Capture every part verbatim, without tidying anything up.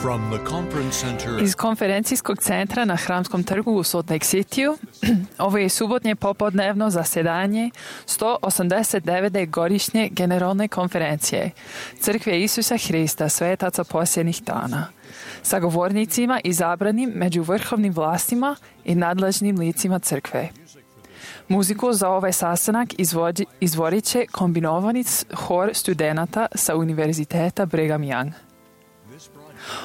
From the conference center Iz konferencijskog centra na Hramskom trgu u Salt Lake Cityu, ovo je subotnje popodnevno zasedanje sto osamdeset devete godišnje generalne konferencije Crkve Isusa Hrista svetaca posljednjih dana, sa govornicima izabranim među vrhovnim vlastima i nadležnim licima crkve. Muziku za ovaj sastanak izvodi, izvodit će kombinovani hor studenata sa Univerziteta Brigham Young.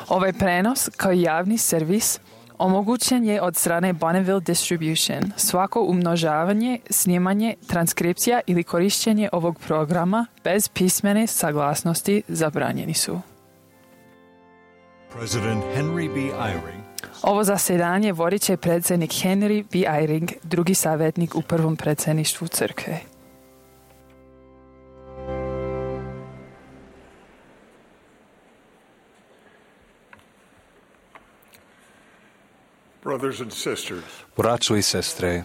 Ovaj prenos, kao i javni servis, omogućen je od strane Bonneville Distribution. Svako umnožavanje, snimanje, transkripcija ili korištenje ovog programa bez pismene saglasnosti zabranjeni su. President Henry B. Eyring Ovo zasedanje vodit će predsjednik Henry B. Eyring, drugi savjetnik u prvom predsjedništvu crkve. Braćo i sestre,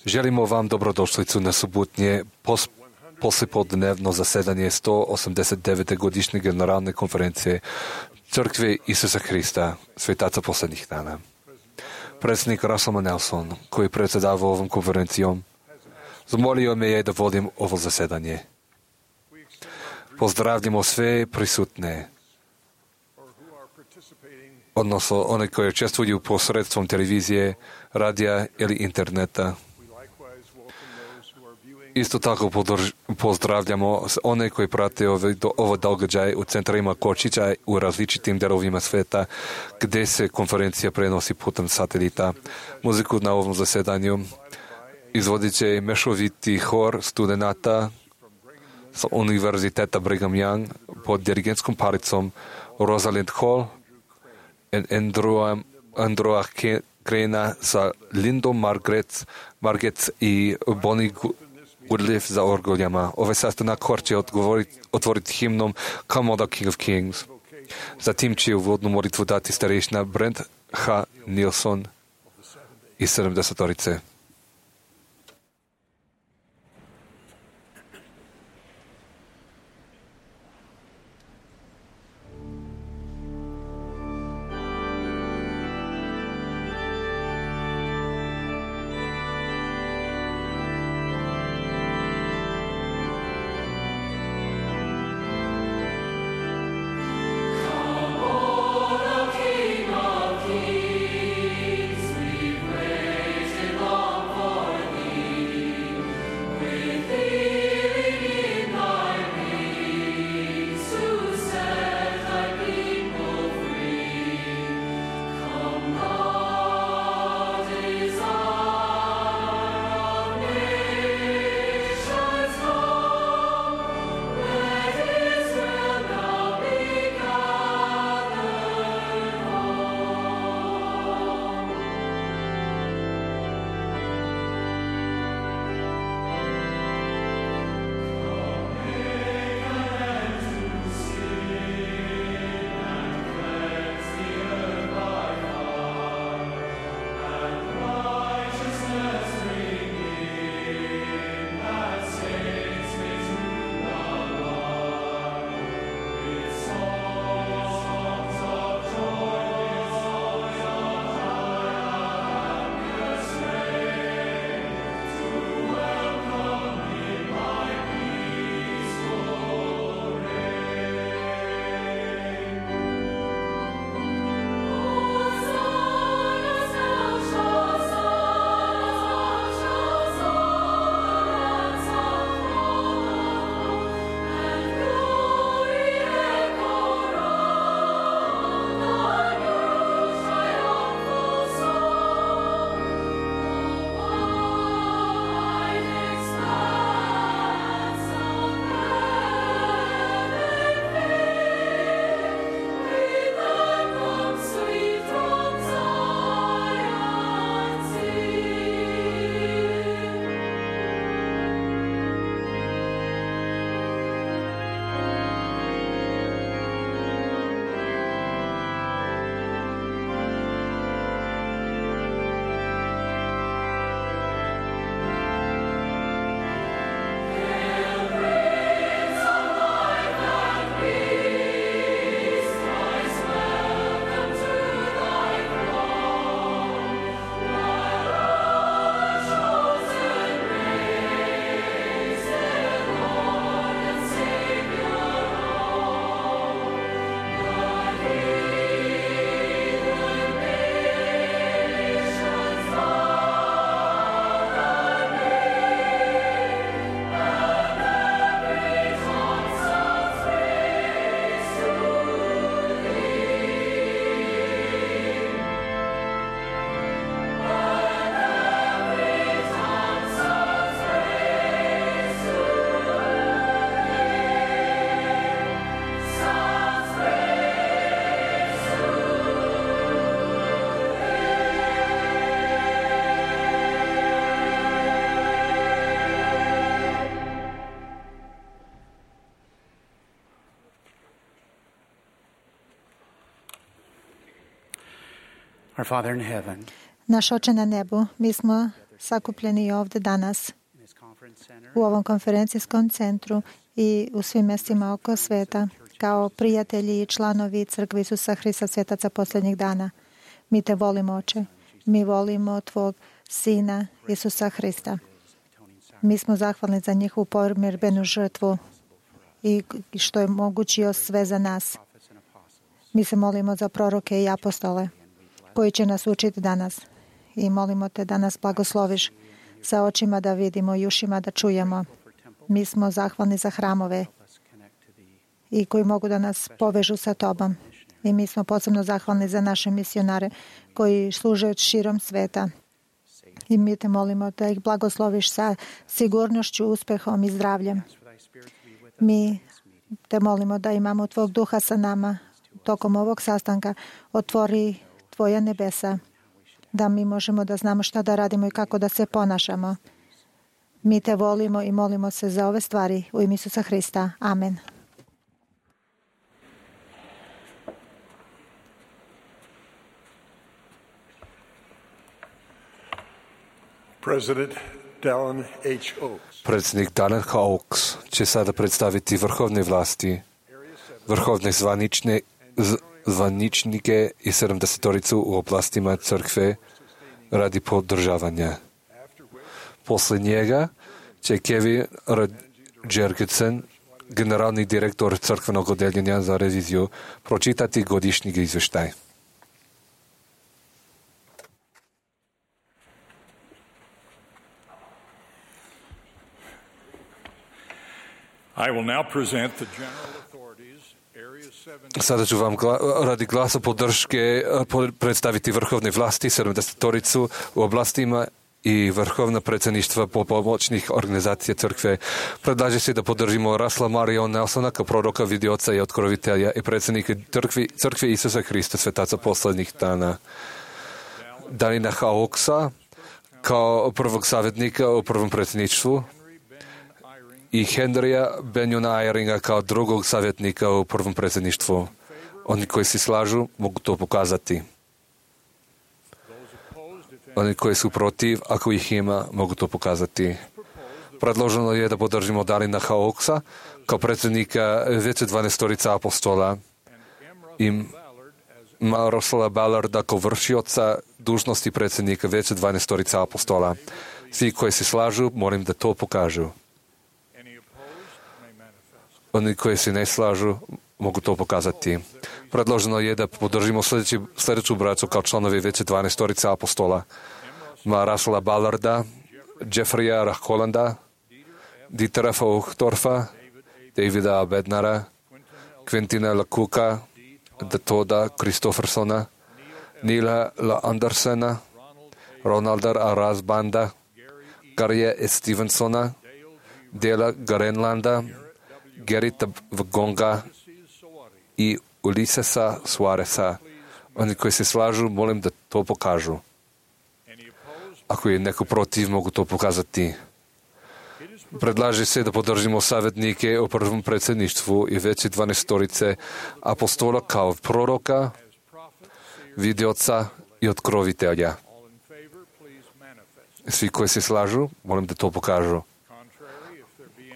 želimo vam dobrodošlicu na subotnje pos- poslijepodnevno zasedanje sto osamdeset devete godišnje generalne konferencije Crkve Isusa Hrista, svetaca posljednjih dana. Predsjednik Russell Nelson, koji predsjedava ovom konferencijom, zamolio me je da vodim ovo zasedanje. Pozdravljamo sve prisutne, odnosno one koje učestvuju posredstvom televizije, radija ili interneta. Isto tako podrž, pozdravljamo one koji prate ove, do, ovo događaj u centrima kočića u različitim delovima sveta gdje se konferencija prenosi putem satelita. Muziku na ovom zasedanju izvodit će mešoviti hor studenata sa Univerziteta Brigham Young pod dirigentskom palicom Rosalind Hall i Andrewa, Andrewa Crana sa Lindom Margaret, Margaret i Bonnie Goodliff za orgoljama. Ovaj sastanak hor će otvoriti himnom Come on the King of Kings. Zatim će uvodnu molitvu dati starešina Brent H. Nilsson iz sedamdesetorice. King of Kings, we praise Him, Lord. Our Father in heaven, Naš Oče na nebu, mi smo sakupljeni ovdje danas in this conference center, u ovom konferencijskom centru i u svim mjestima oko sveta, kao prijatelji i članovi Crkve Isusa Hrista svetaca posljednjih dana. Mi te volimo, Oče. Mi volimo Tvog Sina Isusa Hrista. Mi smo zahvalni za njihovu pomirbenu žrtvu i što je mogućio sve za nas. Mi se molimo za proroke i apostole koji će nas učiti danas. I molimo te da nas blagosloviš sa očima da vidimo i ušima da čujemo. Mi smo zahvalni za hramove i koji mogu da nas povežu sa Tobom. I mi smo posebno zahvalni za naše misionare koji služe širom sveta. I mi te molimo da ih blagosloviš sa sigurnošću, uspehom i zdravljem. Mi te molimo da imamo Tvog duha sa nama tokom ovog sastanka. Otvori Tvoja nebesa, da mi možemo da znamo šta da radimo i kako da se ponašamo. Mi te volimo i molimo se za ove stvari u ime Isusa Hrista. Amen. President Dallin H. Oaks. Predsjednik Dallin H. Oaks će sada predstaviti vrhovne vlasti, vrhovne zvanične, z, zvaničnike i sedamdesetoricu u oblastima crkve radi podržavanja. Posle njega će Kevin Jergensen, generalni direktor crkvenog odeljenja za reviziju, pročitati godišnji izvještaj. I will now present the general authorities, Area seven. Sada ću vam gla, radi glasa podrške predstaviti vrhovne vlasti, sedamdesetoricu u oblastima i vrhovna predsjedništva po pomoćnih organizacija crkve. Predlaže se da podržimo Rasla Marion Nelsona kao proroka, vidioca i otkrovitelja i predsjednika crkvi, crkve Isusa Hrista svetaca posljednjih dana. Dallina H. Oaksa kao prvog savjetnika u prvom predsjedništvu i Henrya Benjona Eyringa kao drugog savjetnika u prvom predsjedništvu. Oni koji se slažu mogu to pokazati. Oni koji su protiv, ako ih ima, mogu to pokazati. Predloženo je da podržimo Dallina H. Oaksa kao predsjednika veće dvanaestorica apostola i Russella Ballarda kao vršioca dužnosti predsjednika veće dvanaestorica apostola. Svi koji se slažu, molim da to pokažu. Oni koji se ne slažu mogu to pokazati. Predloženo je da podržimo sljedeći, sljedeću braću kao članovi veće dvanaestorice apostola. Ma Russella Ballarda, Jeffreya Hollanda, Dietera Fauchtorfa, Davida Bednara, Quentina LaCooka, Datoda Christoffersona, Nila La Andersena, Ronalda Rasbanda, Garya Stevensona, Dela Garenlanda, Gerita Vgonga i Ulisesa Suareza. Oni koji se slažu, molim da to pokažu. Ako je neko protiv, mogu to pokazati. Predlaže se da podržimo savjetnike u prvom predsjedništvu i veće dvanaestorice apostola kao proroka, vidioca i otkrovitelja. Svi koji se slažu, molim da to pokažu.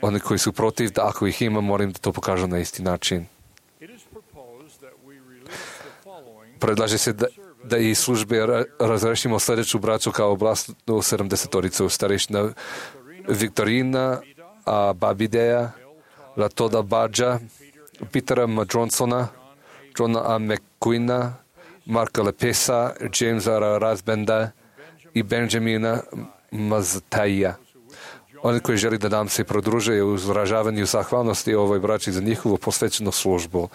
Oni koji su protiv, da ako ih ima, molim da to pokažu na isti način. Predlaže se da, da i službe ra, razrešimo sljedeću braću kao oblast u sedamdesetoricu. Starešina Viktorina a Babideja, Latoda Badža, Petera Madronsona, Johna A. McQueena, Marka Lepesa, Jamesa Rasbenda i Benjamina Maztaija. Oni koji želi da nam se prodruže u izražavanju zahvalnosti ovoj braći za njihovu posvećenu službu,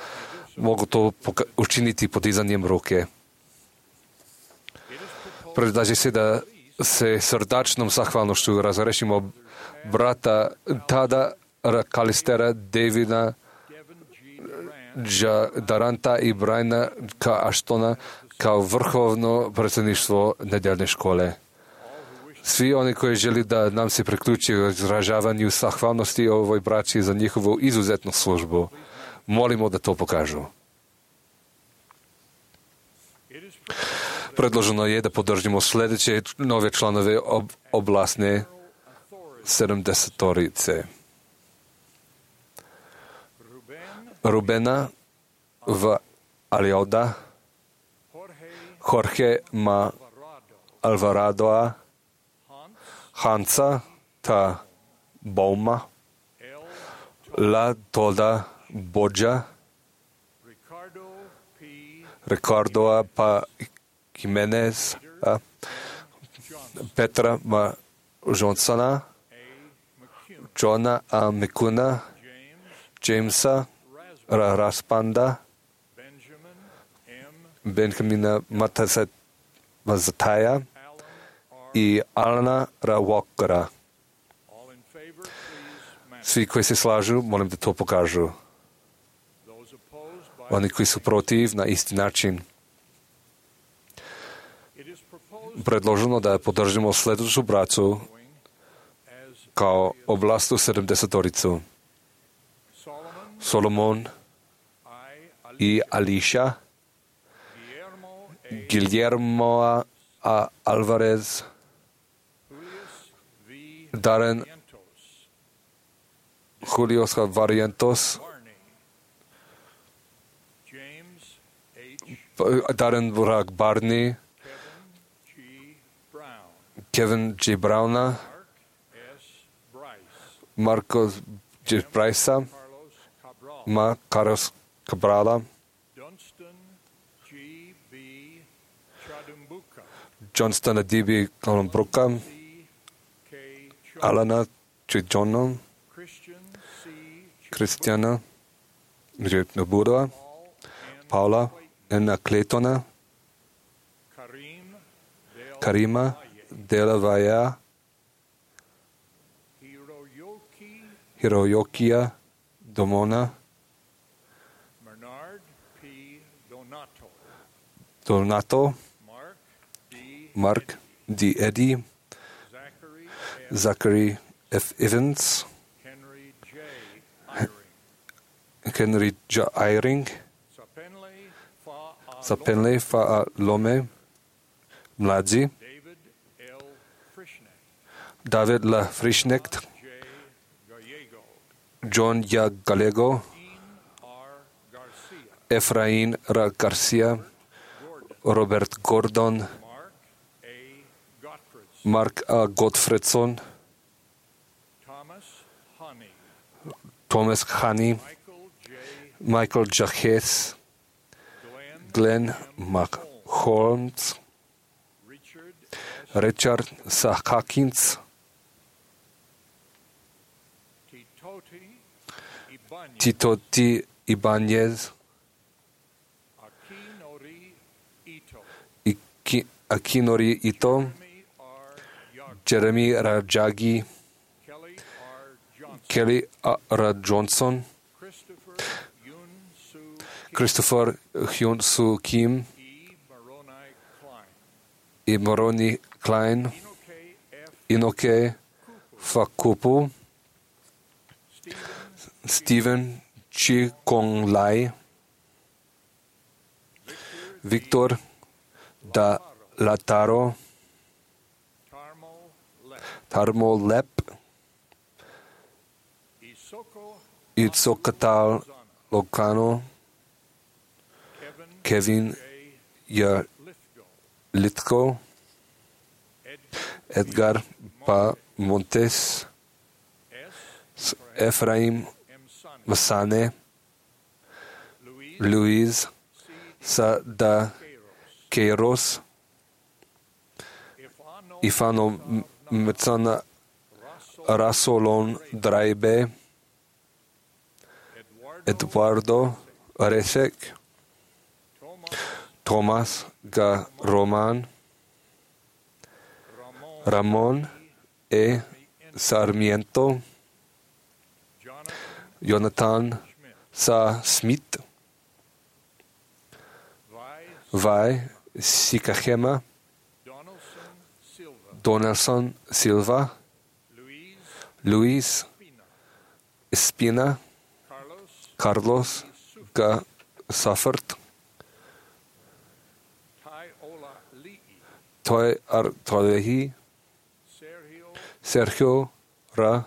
mogu to učiniti podizanjem ruke. Predlaže se da se srdačnom zahvalnošću razrešimo brata Tada Kalistera, Davida Daranta i Briana K. Ashtona kao vrhovno predsjedništvo nedeljne škole. Svi oni koji želi da nam se priključi u izražavanju zahvalnosti ovoj braći za njihovu izuzetnu službu, molimo da to pokažu. Predloženo je da podržimo sljedeće nove članove ob, oblasne sedamdesetorice. Rubena v Alioda, Jorge Ma Alvaradoa, Hansa ta Bauma, La Toda Bodja, Ricardoa pa Jimenez, a Petra Ma Johnsona, Johna A. McCuna, Jamesa Ra Raspanda, Benjamina Mazataya i Alana Ra Walkera. Svi koji se slažu, molim da to pokažu. Oni koji su protiv, na isti način. Predloženo da podržimo sljedeću bracu kao oblastu sedamdesetoricu. Solomon i Alicia, Guillermo A. Alvarez, Darren Julio Varientos, Darren Burak Barney, Kevin G. Browna, Marcos G. Brysa, Ma Carlos Cabrala, Johnston D B. Columbruka, Alana J. Johnom, Cristiana J. Nabudova, Paula N. Claytona, Karima Dela Valle, Hiroyokia Domona, Donato, Mark D. Eddy, Zachary F. Evans, Henry J. Eyring, Zapenle Fa Lome, Mladzi, David La Frischnecht, John Ja Gallego, Efrain Ra Garcia, Robert Gordon, Mark A. Gottfredson, Thomas Honey, Michael J. Hess, Glenn McHolmes, Richard Sahakins, Tito T. Ibanez, Akinori Ito, Jeremy Rajagi, Kelly R. Johnson, Christopher Hyun Soo Kim, i Moroni Klein, Inoke Fakupu, Stephen Chi Kong Lai, Victor Da Lataro, Tarmo Lep, Itzokatal Locano, Kevin Ya Litko, Edgar Pa Montes, Ephraim Masane, Luis Sada Keiros, Ifano Metsana Rasolon Draibe, Eduardo Resek, Thomas Ga Roman, Ramon E. Sarmiento, Jonathan Sa Smith, Vai Sikahema, Donaldson Silva, Luis Espina, Carlos Ga Saffert, Toe Artolehi, Sergio Sergio Ra R.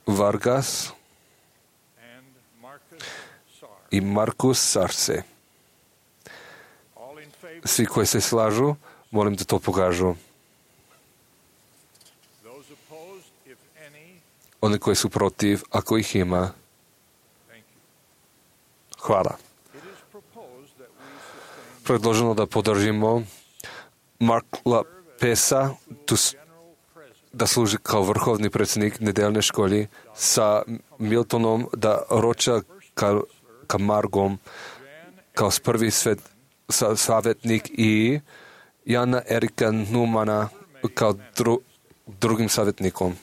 Vargas, Vargas and Marcus Sar. i Markus Sarce. All in favor, Svi koji se slažu, molim da to pokažu. those opposed, if any, Oni koji su protiv, ako ih ima, thank you. hvala. It is proposed that we sustain Predloženo da podržimo Markla Pesa tu s- general president da služi kao vrhovni predsjednik nedeljne školi sa Miltonom da Roča ka, Kamargom kao prvi svet, sa, savjetnik i Jana Erika Numana kao dru, drugim savjetnikom.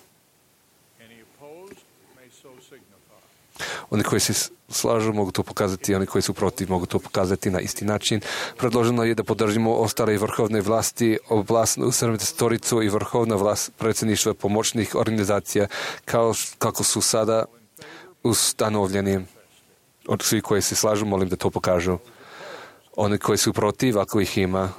Any opposed may so signify. Oni koji se slažu mogu to pokazati, oni koji su protiv mogu to pokazati na isti način. Predloženo je da podržimo ostale vrhovne vlasti, oblastnu sedamdesetoricu i vrhovna vlast predsjedništva pomoćnih organizacija kao š- kako su sada ustanovljeni. Od svi koji se slažu, molim da to pokažu. Oni koji su protiv, ako ih ima.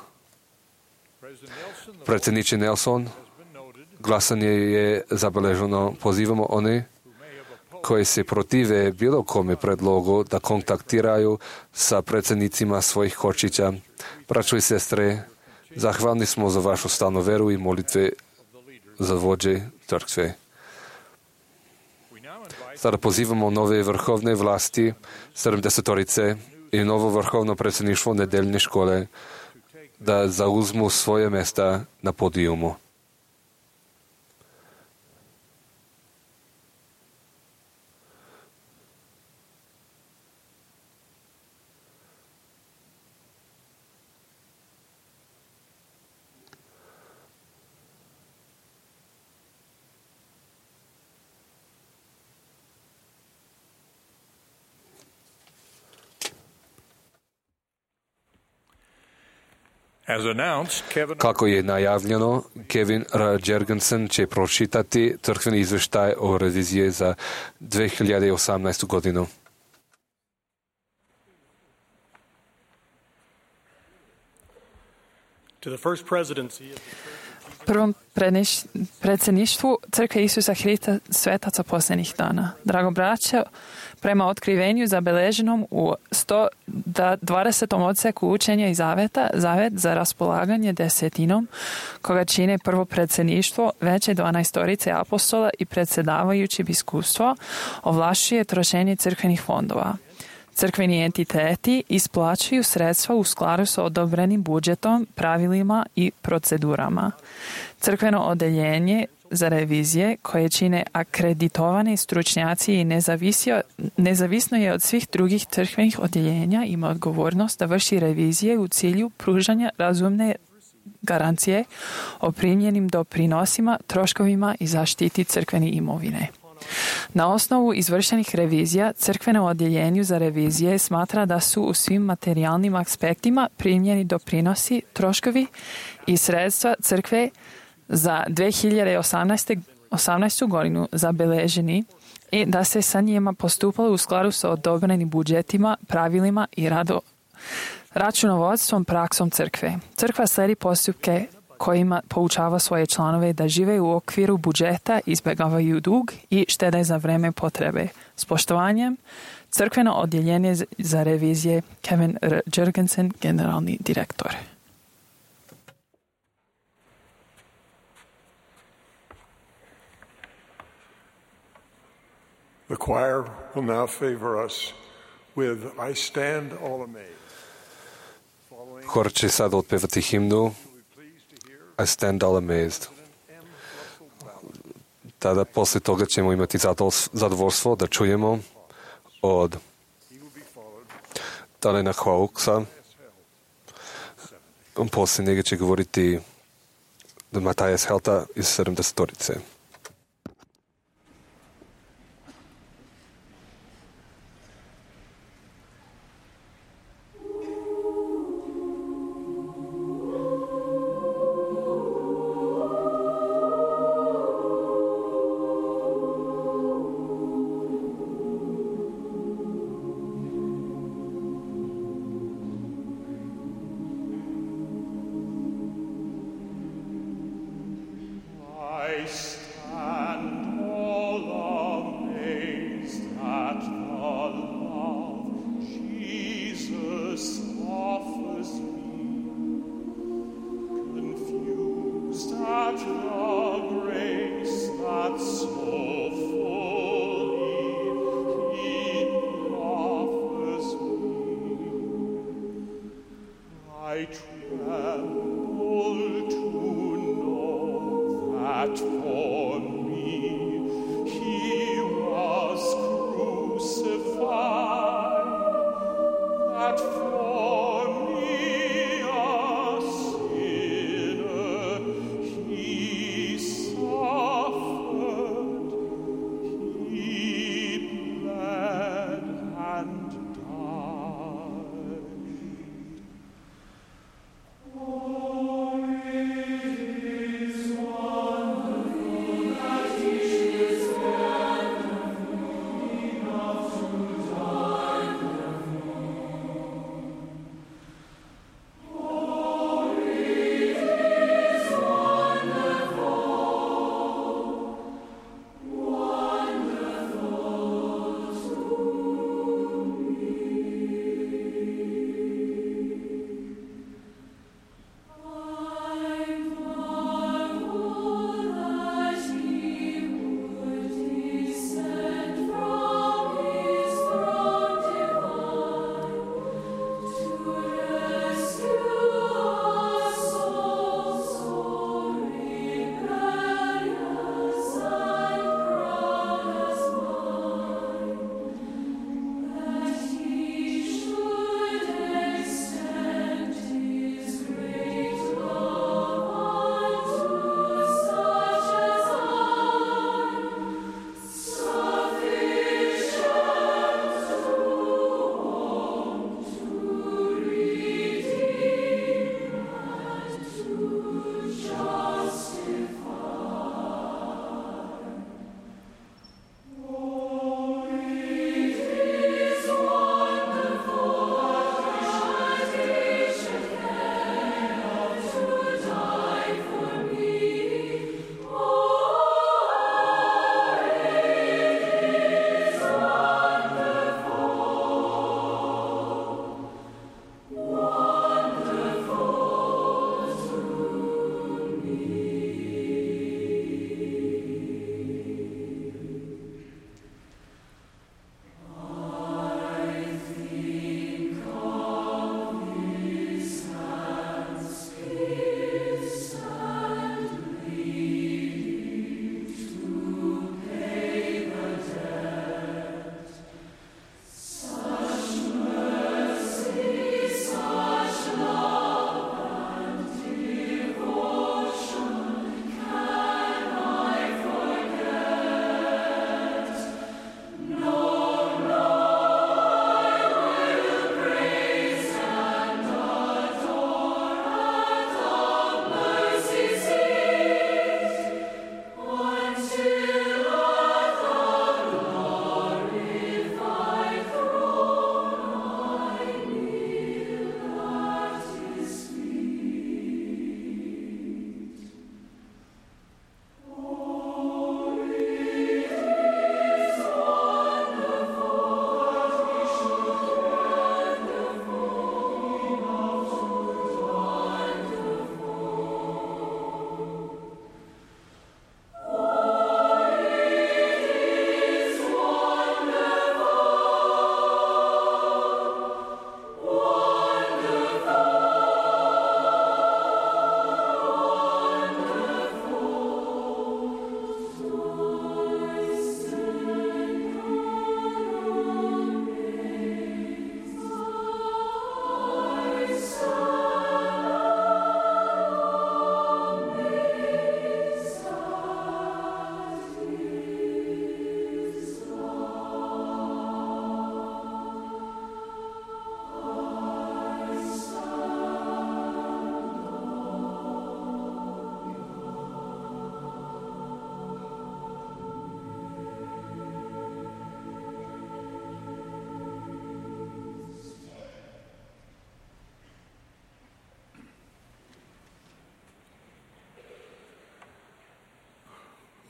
President Nelson, the Predsjedniče Nelson, has been noted glasanje je zabeleženo. Pozivamo one who may have opposed koji se protive bilo kome predlogu da kontaktiraju sa predsjednicima svojih kočića. Braćo i sestre, zahvalni smo za vašu stalnu veru i molitve za vođe crkve. We now invite Sada pozivamo nove vrhovne vlasti, sedamdesetorice i novo vrhovno predsjedništvo nedeljne škole da zauzmu svoje mjesta na podijumu. As announced, Kevin Kako je najavljeno, Kevin R. Jergensen će pročitati crkveni izveštaj o reviziji za dve hiljade osamnaestu godinu. To the first presidency of the Prvom predniš- predsjedništvu Crkve Isusa Hrista svetaca posljednjih dana. Drago braće, prema otkrivenju zabeleženom u sto dvadesetom odseku učenja i zaveta, zavet za raspolaganje desetinom, koga čine prvo predsjedništvo, veće dvanaestorice apostola i predsjedavajući biskupstvo, ovlašćuje trošenje crkvenih fondova. Crkveni entiteti isplaćuju sredstva u skladu sa odobrenim budžetom, pravilima i procedurama. Crkveno odeljenje za revizije koje čine akreditovani stručnjaci i nezavisio, nezavisno je od svih drugih crkvenih odjeljenja, ima odgovornost da vrši revizije u cilju pružanja razumne garancije o primljenim doprinosima, troškovima i zaštiti crkvene imovine. Na osnovu izvršenih revizija, crkveno odjeljenju za revizije smatra da su u svim materijalnim aspektima primljeni doprinosi, troškovi i sredstva crkve za dve hiljade osamnaestu godinu zabeleženi i da se sa njima postupalo u skladu sa odobrenim budžetima, pravilima i rado, računovodstvom praksom crkve. Crkva slijedi postupke kojima poučava svoje članove da žive u okviru budžeta, izbjegavaju dug i štede za vreme potrebe. S poštovanjem, crkveno odjeljenje za revizije Kevin R. Jergensen, generalni direktor. The choir will now favor us with I Stand All Amazed. Following, Hor će sad otpevati himnu I Stand All Amazed. Tada poslije toga ćemo imati zadovoljstvo da čujemo od Dalena Hawksa. Poslije njega će govoriti Matajas Helta iz sedamdesetorice.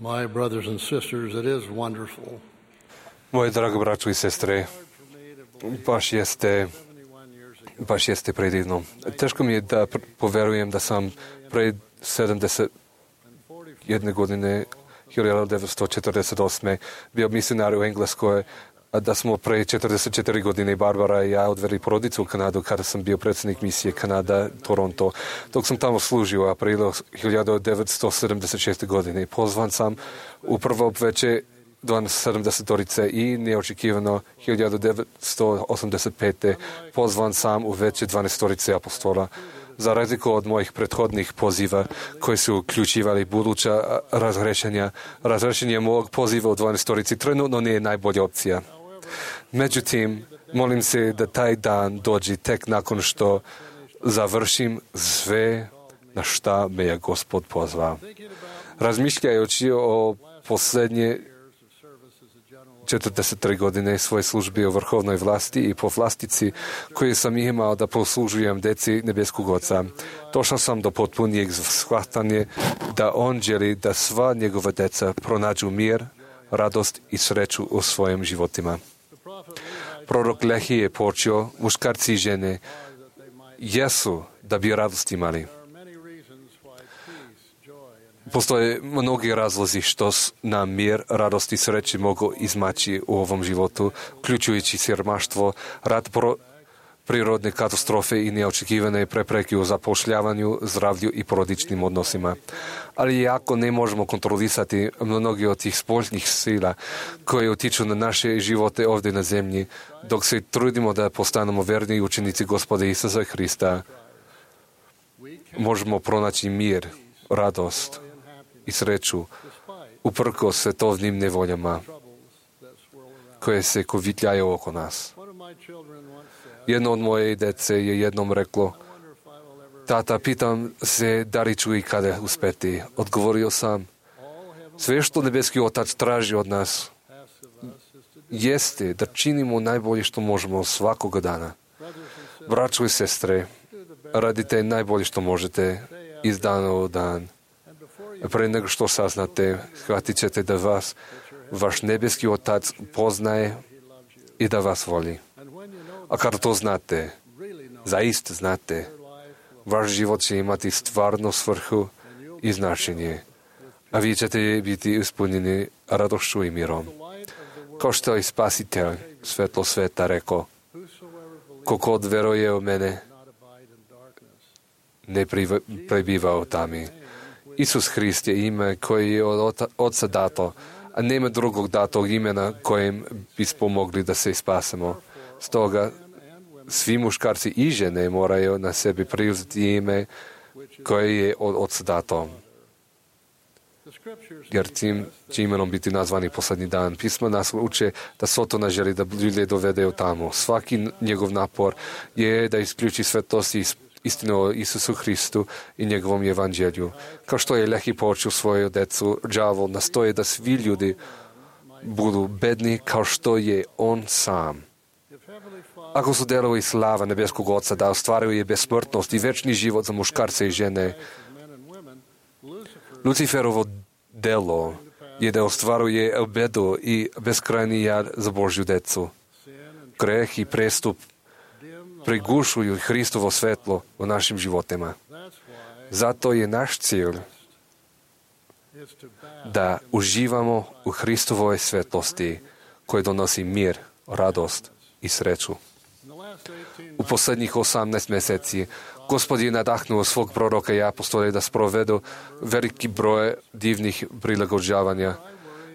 My brothers and sisters, it is wonderful. Moje drago braćo i sestre, baš jeste, baš jeste predivno. Teško mi je da pr- poverujem da sam pred sedamdeset jedne godine, hiljadu devetsto četrdeset osme bio misionar u Engleskoj, a da smo pre četrdeset četiri godine Barbara i ja odveli porodicu u Kanadu kada sam bio predsjednik misije Kanada, Toronto. Dok sam tamo služio aprila hiljadu devetsto sedamdeset šeste godine. Pozvan sam u prvo veće sedamdesetorice i neočekivano hiljadu devetsto osamdeset pete pozvan sam u veće dvanaestorice apostola. Za razliku od mojih prethodnih poziva koji su uključivali buduća razrešenja, razrešenje mog poziva u dvanaestorici trenutno nije najbolja opcija. Međutim, molim se da taj dan dođe tek nakon što završim sve na šta me je Gospod pozvao. Razmišljajući o posljednje četrdeset tri godine svoje službe u vrhovnoj vlasti i po vlastici koju sam imao da poslužujem deci nebeskog Oca, došao sam do potpunijeg shvatanja da On želi da sva njegova deca pronađu mir, radost i sreću u svojim životima. Prorok Lehi je počeo, muškarci i žene jesu da bi radost imali. Postoje mnogi razlozi što nam mir, radost i sreći mogu izmaći u ovom životu, uključujući siromaštvo, rat, pro, prirodne katastrofe i neočekivane prepreke u zapošljavanju, zdravlju i porodičnim odnosima. Ali iako ne možemo kontrolisati mnogi od tih spoljnih sila koje utiču na naše živote ovdje na zemlji, dok se trudimo da postanemo verni učenici Gospoda Isusa Hrista, možemo pronaći mir, radost i sreću uprkos svetovnim nevoljama koje se kovitljaju oko nas. Jedno od moje dece je jednom reklo: tata, pitam se da li ću i kada uspeti. Odgovorio sam: sve što nebeski Otac traži od nas jeste da činimo najbolje što možemo svakoga dana. Braćo i sestre, radite najbolje što možete iz dana u dan. Pre nego što saznate, shvatit ćete da vas vaš nebeski Otac poznaje i da vas voli. A kada to znate, zaista znate, vaš život će imati stvarnu svrhu i značenje, a vi ćete biti ispunjeni radošću i mirom. Kao što je Spasitelj, svetlo sveta, rekao: ko god veruje u mene, ne prebiva u tami. Isus Hrist je ime koje je od Oca dato, a nema drugog datog imena kojim bismo mogli da se spasemo. Stoga svi muškarci i žene moraju na sebi preuzeti ime koje je od Oca dato. Jer tim će imenom biti nazvani posljednji dan. Pismo nas uče da Sotona želi da ljude dovede u tamo. Svaki njegov napor je da isključi svetost i istinu o Isusu Hristu i njegovom evanđelju. Kao što je Lehi počeo svoju decu, đavol nastoje da svi ljudi budu bedni kao što je on sam. Ako su delovi slava nebeskog Oca da ostvaruju besmrtnost i večni život za muškarce i žene, Luciferovo delo je da ostvaruje obedu i beskrajni jad za Božju decu. Greh i prestup prigušuju Hristovo svetlo u našim životima. Zato je naš cilj da uživamo u Hristovoj svetlosti koji donosi mir, radost i sreću. U posljednjih osamnaest mjeseci Gospod je nadahnuo svog proroka i apostole da sprovedu veliki broj divnih prilagođavanja.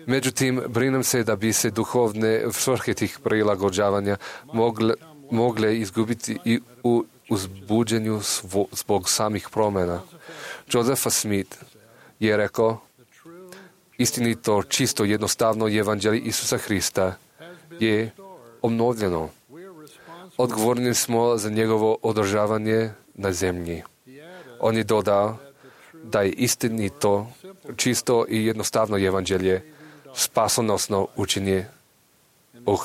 Međutim, brinem se da bi se duhovne svrhe tih prilagođavanja mogle, mogle izgubiti i u uzbuđenju zbog samih promjena. Joseph Smith je rekao: istinito, čisto, jednostavno evanđelje Isusa Hrista je obnovljeno. Odgovorni smo za njegovo održavanje na zemlji. On je dodao da je istinito, čisto i jednostavno evanđelje spasonosno učenje o,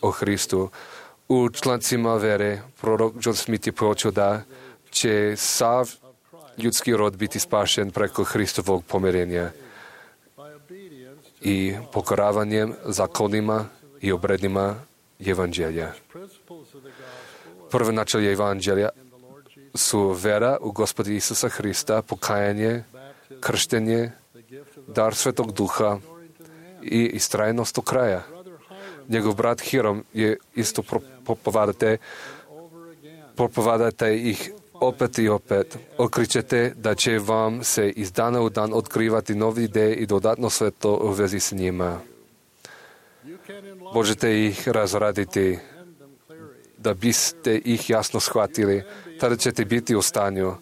o Hristu. U člancima vere prorok John Smith je počeo da će sav ljudski rod biti spašen preko Hristovog pomirenja. i pokoravanjem zakonima i obredima Evanđelja. Prvo načelje Evanđelja su vera u Gospoda Isusa Hrista, pokajanje, krštenje, dar Svetog Duha i istrajnost do kraja. Njegov brat Hiram je isto propovedate, propovedate ih opet i opet. Otkrićete da će vam se iz dana u dan otkrivati nove ideje i dodatno sve to u vezi s njima. Možete ih razraditi da biste ih jasno shvatili. Tada ćete biti u stanju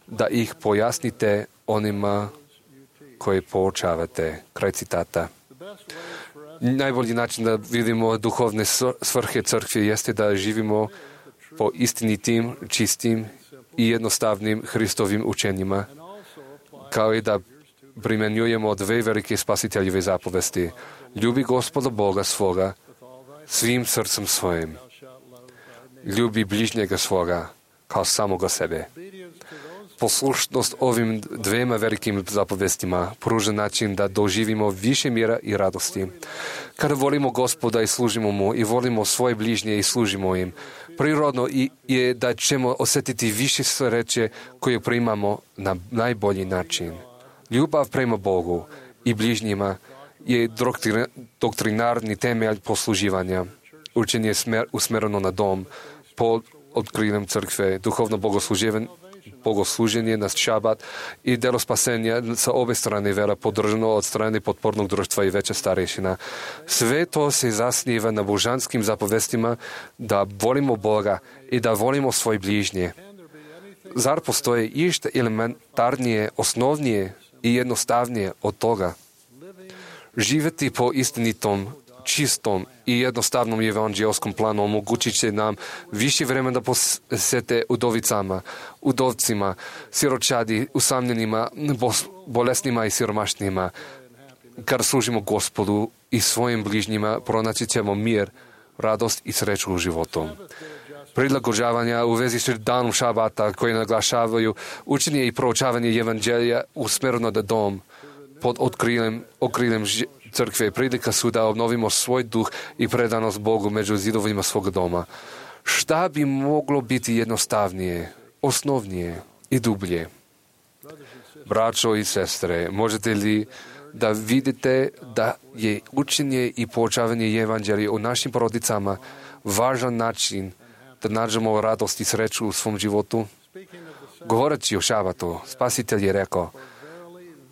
da ih pojasnite onima koji poučavate. Kraj citata. Najbolji način da vidimo duhovne svrhe crkve jeste da živimo po istinitim, čistim i jednostavnim Hristovim učenjima, kao i da primjenjujemo dve velike spasiteljeve zapovesti. Ljubi Gospoda Boga svoga svim srcem svojim. Ljubi bližnjega svoga kao samoga sebe. Poslušnost ovim dvema velikim zapovestima pruža način da doživimo više mira i radosti. Kada volimo Gospoda i služimo mu i volimo svoje bližnje i služimo im, prirodno je da ćemo osjetiti više sreće koje primamo na najbolji način. Ljubav prema Bogu i bližnjima je doktrinarni temelj posluživanja. Učenje je smer, usmereno na dom, pod otkriljem crkve, duhovno bogosluženje, bogosluženje na šabat i delo spasenja sa obe strane vera podržano od strane potpornog društva i veća starešina. Sve to se zasniva na božanskim zapovestima da volimo Boga i da volimo svoje bližnje. Zar postoje išta elementarnije, osnovnije i jednostavnije od toga? Živjeti po istinitom, čistom i jednostavnom evanđelskom planu omogućit će nam više vremena da posvete udovicama, udovcima, siročadi, usamljenima, bolesnima i siromašnima. Kad služimo Gospodu i svojim bližnjima, pronaći ćemo mir, radost i sreću u životu. Prilagođavanja u vezi s danom šabata koji naglašavaju učenje i proučavanje evanđelja usmjereno na dom pod otkriljem, okriljem crkve prilika su da obnovimo svoj duh i predanost Bogu među zidovima svoga doma. Šta bi moglo biti jednostavnije, osnovnije i dublje? Braćo i sestre, možete li da vidite da je učenje i poučavanje evanđelja u našim porodicama važan način da nađemo radost i sreću u svom životu? Govoreći o šabatu, Spasitelj je rekao,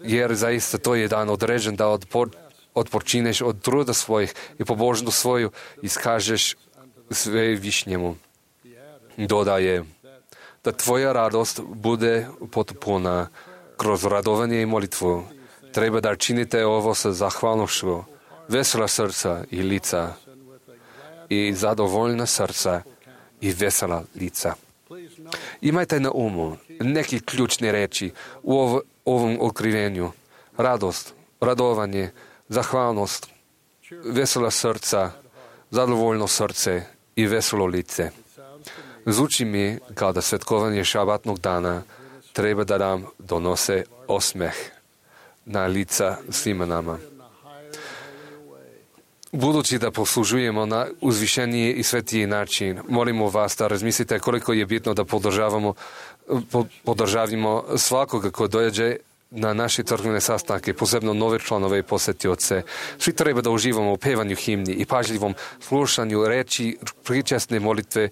jer zaista to je dan određen da odpor, odpočineš od truda svojih i pobožnost svoju iskažeš sve višnjemu. Dodaje, da tvoja radost bude potpuna kroz radovanje i molitvu. Treba da činite ovo sa zahvalnošću, vesela srca i lica i zadovoljna srca i vesela lica. Imajte na umu neki ključne reči u ov, ovom otkrivenju. Radost, radovanje, zahvalnost, vesela srca, zadovoljno srce i veselo lice. Zvuči mi kao da svetkovanje šabatnog dana treba da nam donose osmeh na lica svima nama. Budući da poslužujemo na uzvišeniji i svetiji način, molimo vas da razmislite koliko je bitno da podržavamo, podržavimo svakoga ko dođe na naše crkvene sastanke, posebno nove članove i posetioce. Svi treba da uživamo u pevanju himni i pažljivom slušanju reči, pričasne molitve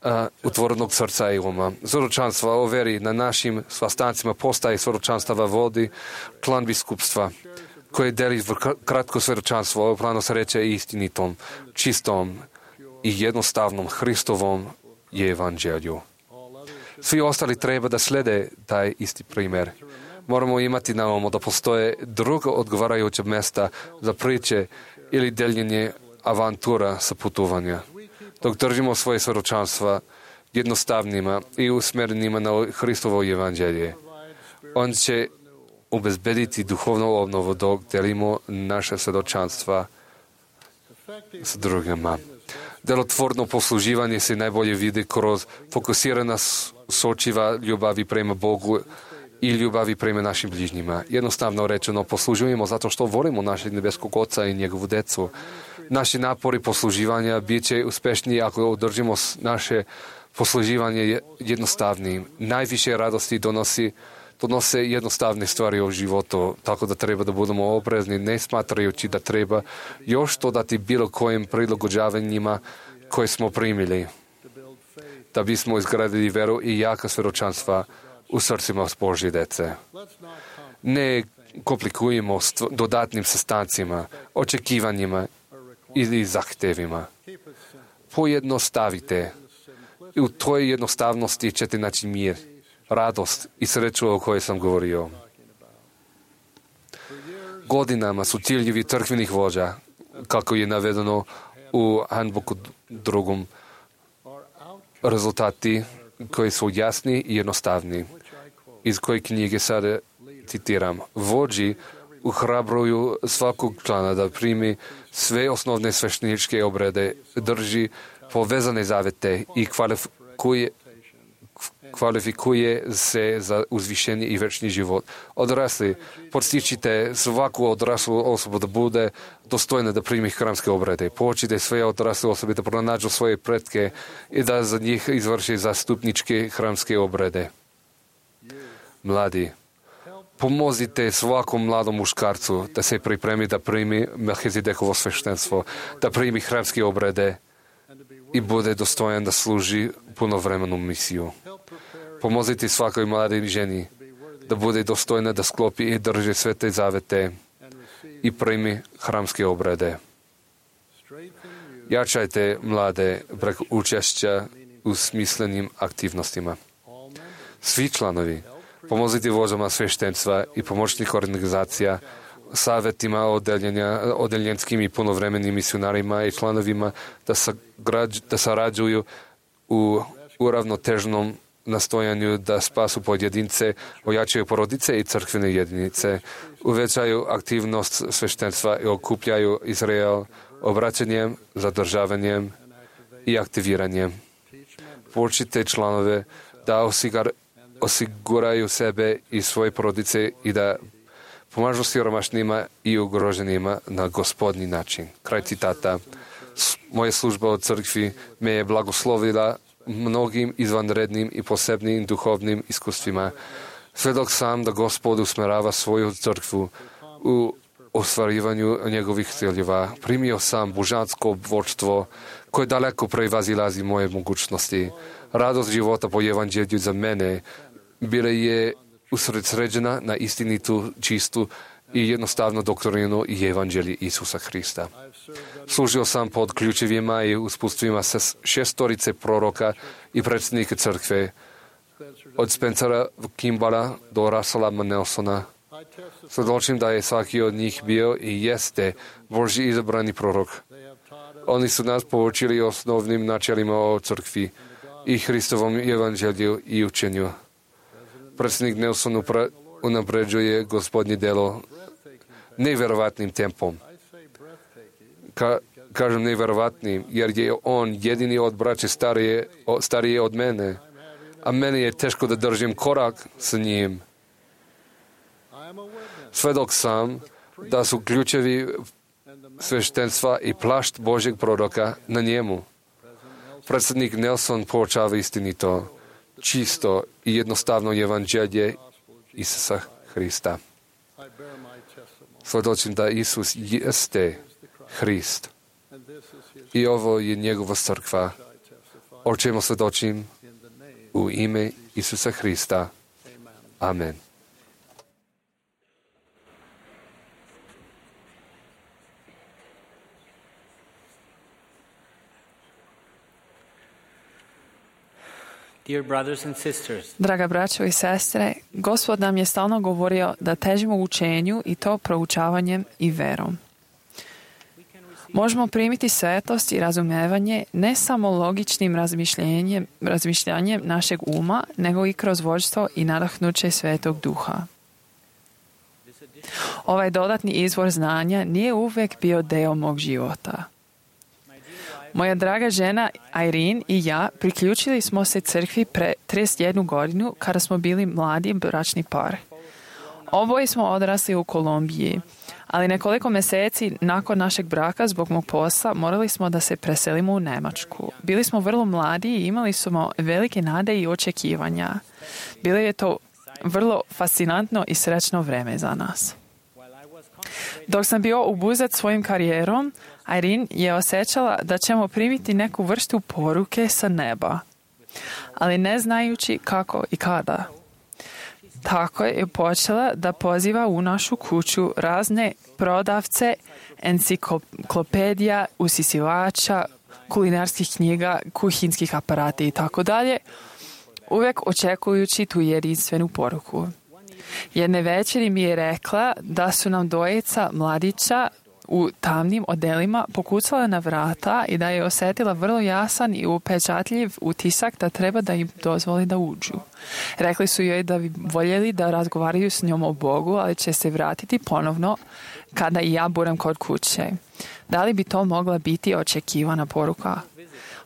uh, utvorenog srca i uma. Svjedočanstva o veri na našim sastancima postaje svjedočanstava vodi član biskupstva koje deli kratko svjedočanstvo, ovo plano se reče istinitom, čistom i jednostavnom Hristovom evanđelju. Svi ostali treba da slede taj isti primjer. Moramo imati na umu da postoje druga odgovarajuća mesta za priče ili deljenje avantura sa putovanja. Dok držimo svoje svjedočanstva jednostavnima i usmjerenima na Hristovo evanđelje, on će obezbediti duhovnu obnovu dok delimo naše svjedočanstva s drugima. Delotvorno posluživanje se najbolje vidi kroz fokusirana sočiva ljubavi prema Bogu i ljubavi prema našim bližnjima. Jednostavno rečeno, poslužujemo zato što volimo našeg nebeskog Oca i njegovu decu. Naši napori posluživanja bit će uspešni ako održimo naše posluživanje jednostavnim. Najviše radosti donosi, donose jednostavne stvari u životu, tako da treba da budemo oprezni, ne smatrajući da treba još dodati bilo kojim prilagođavanjima koje smo primili, da bismo izgradili veru i jaka svjedočanstva u srcima Božje dece. Ne komplikujemo dodatnim sastancima, očekivanjima ili zahtevima. Pojednostavite. I u toj jednostavnosti ćete naći mir, radost i sreću o kojoj sam govorio. Godinama su ciljevi crkvenih vođa, kako je navedeno u handbooku drugom, rezultati koji su jasni i jednostavni. Iz koje knjige sada citiram. Vođi uhrabruju svakog člana da primi sve osnovne svešteničke obrede, drži povezane zavete i kvalifikuje, kvalifikuje se za uzvišenje i večni život. Odrasli, podstičite svaku odraslu osobu da bude dostojna da primi hramske obrede. Poučite sve odrasle osobe da pronađu svoje pretke i da za njih izvrši zastupničke hramske obrede. Mladi, pomozite svakom mladom muškarcu da se pripremi da primi Melchizedekovo sveštenstvo, da primi hramske obrede i bude dostojan da služi punovremenu misiju. Pomozite svakoj mladoj ženi da bude dostojna da sklopi i drži sve te zavete i primi hramske obrede. Jačajte mlade preko učešća u smislenim aktivnostima. Svi članovi, pomozite vođama sveštenstva i pomoćnih organizacija, savjetima odeljenskim i punovremenim misionarima i članovima da, sagrađ, da sarađuju u uravnotežnom nastojanju da spasu pojedince, ojačaju porodice i crkvene jedinice, uvećaju aktivnost sveštenstva i okupljaju Izrael obraćanjem, zadržavanjem i aktiviranjem. Poučite članove da osigar, osiguraju sebe i svoje porodice i da pomažu siromašnima i ugroženima na gospodnji način. Kraj citata. Moja služba u crkvi me je blagoslovila mnogim izvanrednim i posebnim duhovnim iskustvima. Svedok sam da Gospod usmerava svoju crkvu u ostvarivanju njegovih ciljeva. Primio sam božansko vodstvo koje daleko prevazilazi moje mogućnosti. Radost života po evanđelju za mene bila je usredsređena na istinitu, čistu i jednostavnu doktrinu i evanđelje Isusa Hrista. Služio sam pod ključevima i usputstvima šestorice proroka i predsjednika crkve, od Spencera Kimbala do Russella Nelsona. Svjedočim da je svaki od njih bio i jeste Božji izabrani prorok. Oni su nas poučili osnovnim načelima o crkvi i Hristovom evanđelju i učenju. Predsjednik Nelson unapređuje Gospodnje delo nevjerovatnim tempom. Ka, kažem nevjerovatnim, jer je on jedini od braće starije, starije od mene, a meni je teško da držim korak sa njim. Svedok sam da su ključevi sveštenstva i plašt Božjeg proroka na njemu. Predsjednik Nelson poučava istinito, čisto i jednostavno evanđelje Isusa Hrista. Svjedočim da Isus jeste Hrist i ovo je njegova crkva, o čemu svjedočim u ime Isusa Hrista. Amen. Dear brothers and sisters, Draga braćo i sestre, Gospod nam je stalno govorio da težimo učenju i to proučavanjem i verom. Možemo primiti svetost i razumevanje ne samo logičnim razmišljanjem, razmišljanjem našeg uma, nego i kroz vođstvo i nadahnuće Svetog Duha. Ovaj dodatni izvor znanja nije uvijek bio deo mog života. Moja draga žena Irene i ja priključili smo se crkvi pre trideset jednu godinu kada smo bili mladi bračni par. Oboje smo odrasli u Kolumbiji, ali nekoliko mjeseci nakon našeg braka zbog mog posla morali smo da se preselimo u Njemačku. Bili smo vrlo mladi i imali smo velike nade i očekivanja. Bilo je to vrlo fascinantno i srećno vreme za nas. Dok sam bio ubuzet svojim karijerom, Irene je osjećala da ćemo primiti neku vrstu poruke sa neba, ali ne znajući kako i kada. Tako je počela da poziva u našu kuću razne prodavce, enciklopedija, usisivača, kulinarskih knjiga, kuhinskih aparata i tako dalje, uvijek očekujući tu jedinstvenu poruku. Jedne večeri mi je rekla da su nam dvojica mladića u tamnim odelima pokucala na vrata i da je osjetila vrlo jasan i upečatljiv utisak da treba da im dozvoli da uđu. Rekli su joj da bi voljeli da razgovaraju s njom o Bogu, ali će se vratiti ponovno kada i ja budem kod kuće. Da li bi to mogla biti očekivana poruka?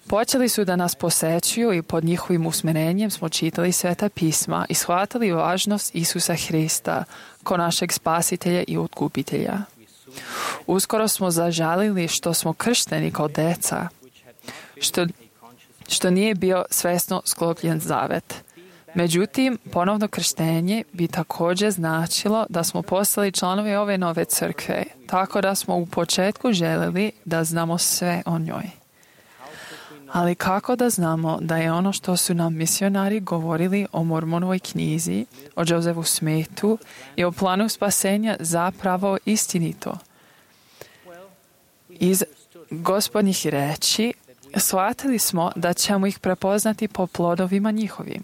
Počeli su da nas posećuju i pod njihovim usmjerenjem smo čitali Sveta pisma i shvatili važnost Isusa Hrista ko našeg spasitelja i otkupitelja. Uskoro smo zažalili što smo kršteni kao deca, što, što nije bio svesno sklopljen zavet. Međutim, ponovno krštenje bi također značilo da smo postali članovi ove nove crkve, tako da smo u početku željeli da znamo sve o njoj. Ali kako da znamo da je ono što su nam misionari govorili o Mormonovoj knjizi, o Josefu Smithu i o planu spasenja zapravo istinito? Iz Gospodnjih reči shvatili smo da ćemo ih prepoznati po plodovima njihovim.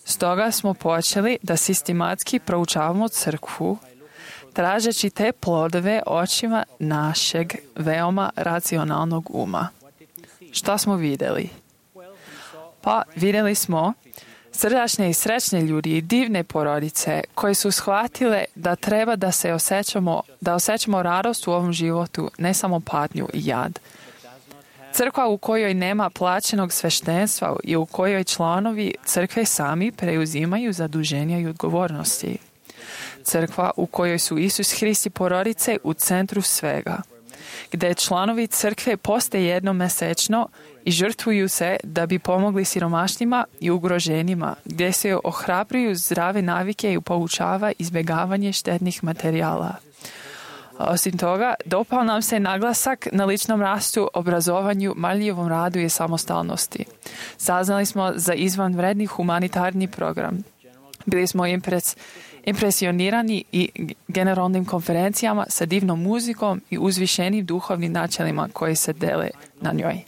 Stoga smo počeli da sistematski proučavamo crkvu, tražeći te plodove očima našeg veoma racionalnog uma. Šta smo vidjeli? Pa vidjeli smo srdačne i srećne ljudi i divne porodice koje su shvatile da treba da se osjećamo, da osjećamo radost u ovom životu, ne samo patnju i jad. Crkva u kojoj nema plaćenog sveštenstva i u kojoj članovi crkve sami preuzimaju zaduženja i odgovornosti. Crkva u kojoj su Isus Hrist i porodice u centru svega, gdje članovi crkve poste jednom mesečno i žrtvuju se da bi pomogli siromašnima i ugroženima, gdje se ohrabruju zdrave navike i poučava izbjegavanje štetnih materijala. Osim toga, dopao nam se naglasak na ličnom rastu, obrazovanju, marljivom radu i samostalnosti. Saznali smo za izvanredni humanitarni program. Bili smo impres, impresionirani i generalnim konferencijama sa divnom muzikom i uzvišenim duhovnim načelima koji se dele na njoj.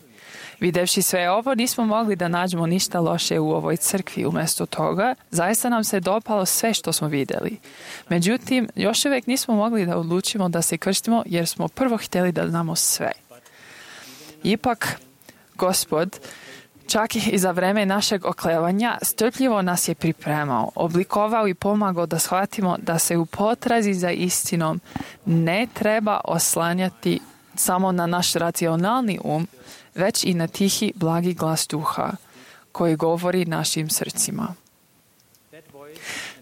Videvši sve ovo, nismo mogli da nađemo ništa loše u ovoj crkvi. Umjesto toga, zaista nam se dopalo sve što smo vidjeli. Međutim, još uvijek nismo mogli da odlučimo da se krstimo jer smo prvo htjeli da znamo sve. Ipak, Gospod, čak i za vreme našeg oklevanja, strpljivo nas je pripremao, oblikovao i pomagao da shvatimo da se u potrazi za istinom ne treba oslanjati samo na naš racionalni um, već i na tihi, blagi glas duha koji govori našim srcima.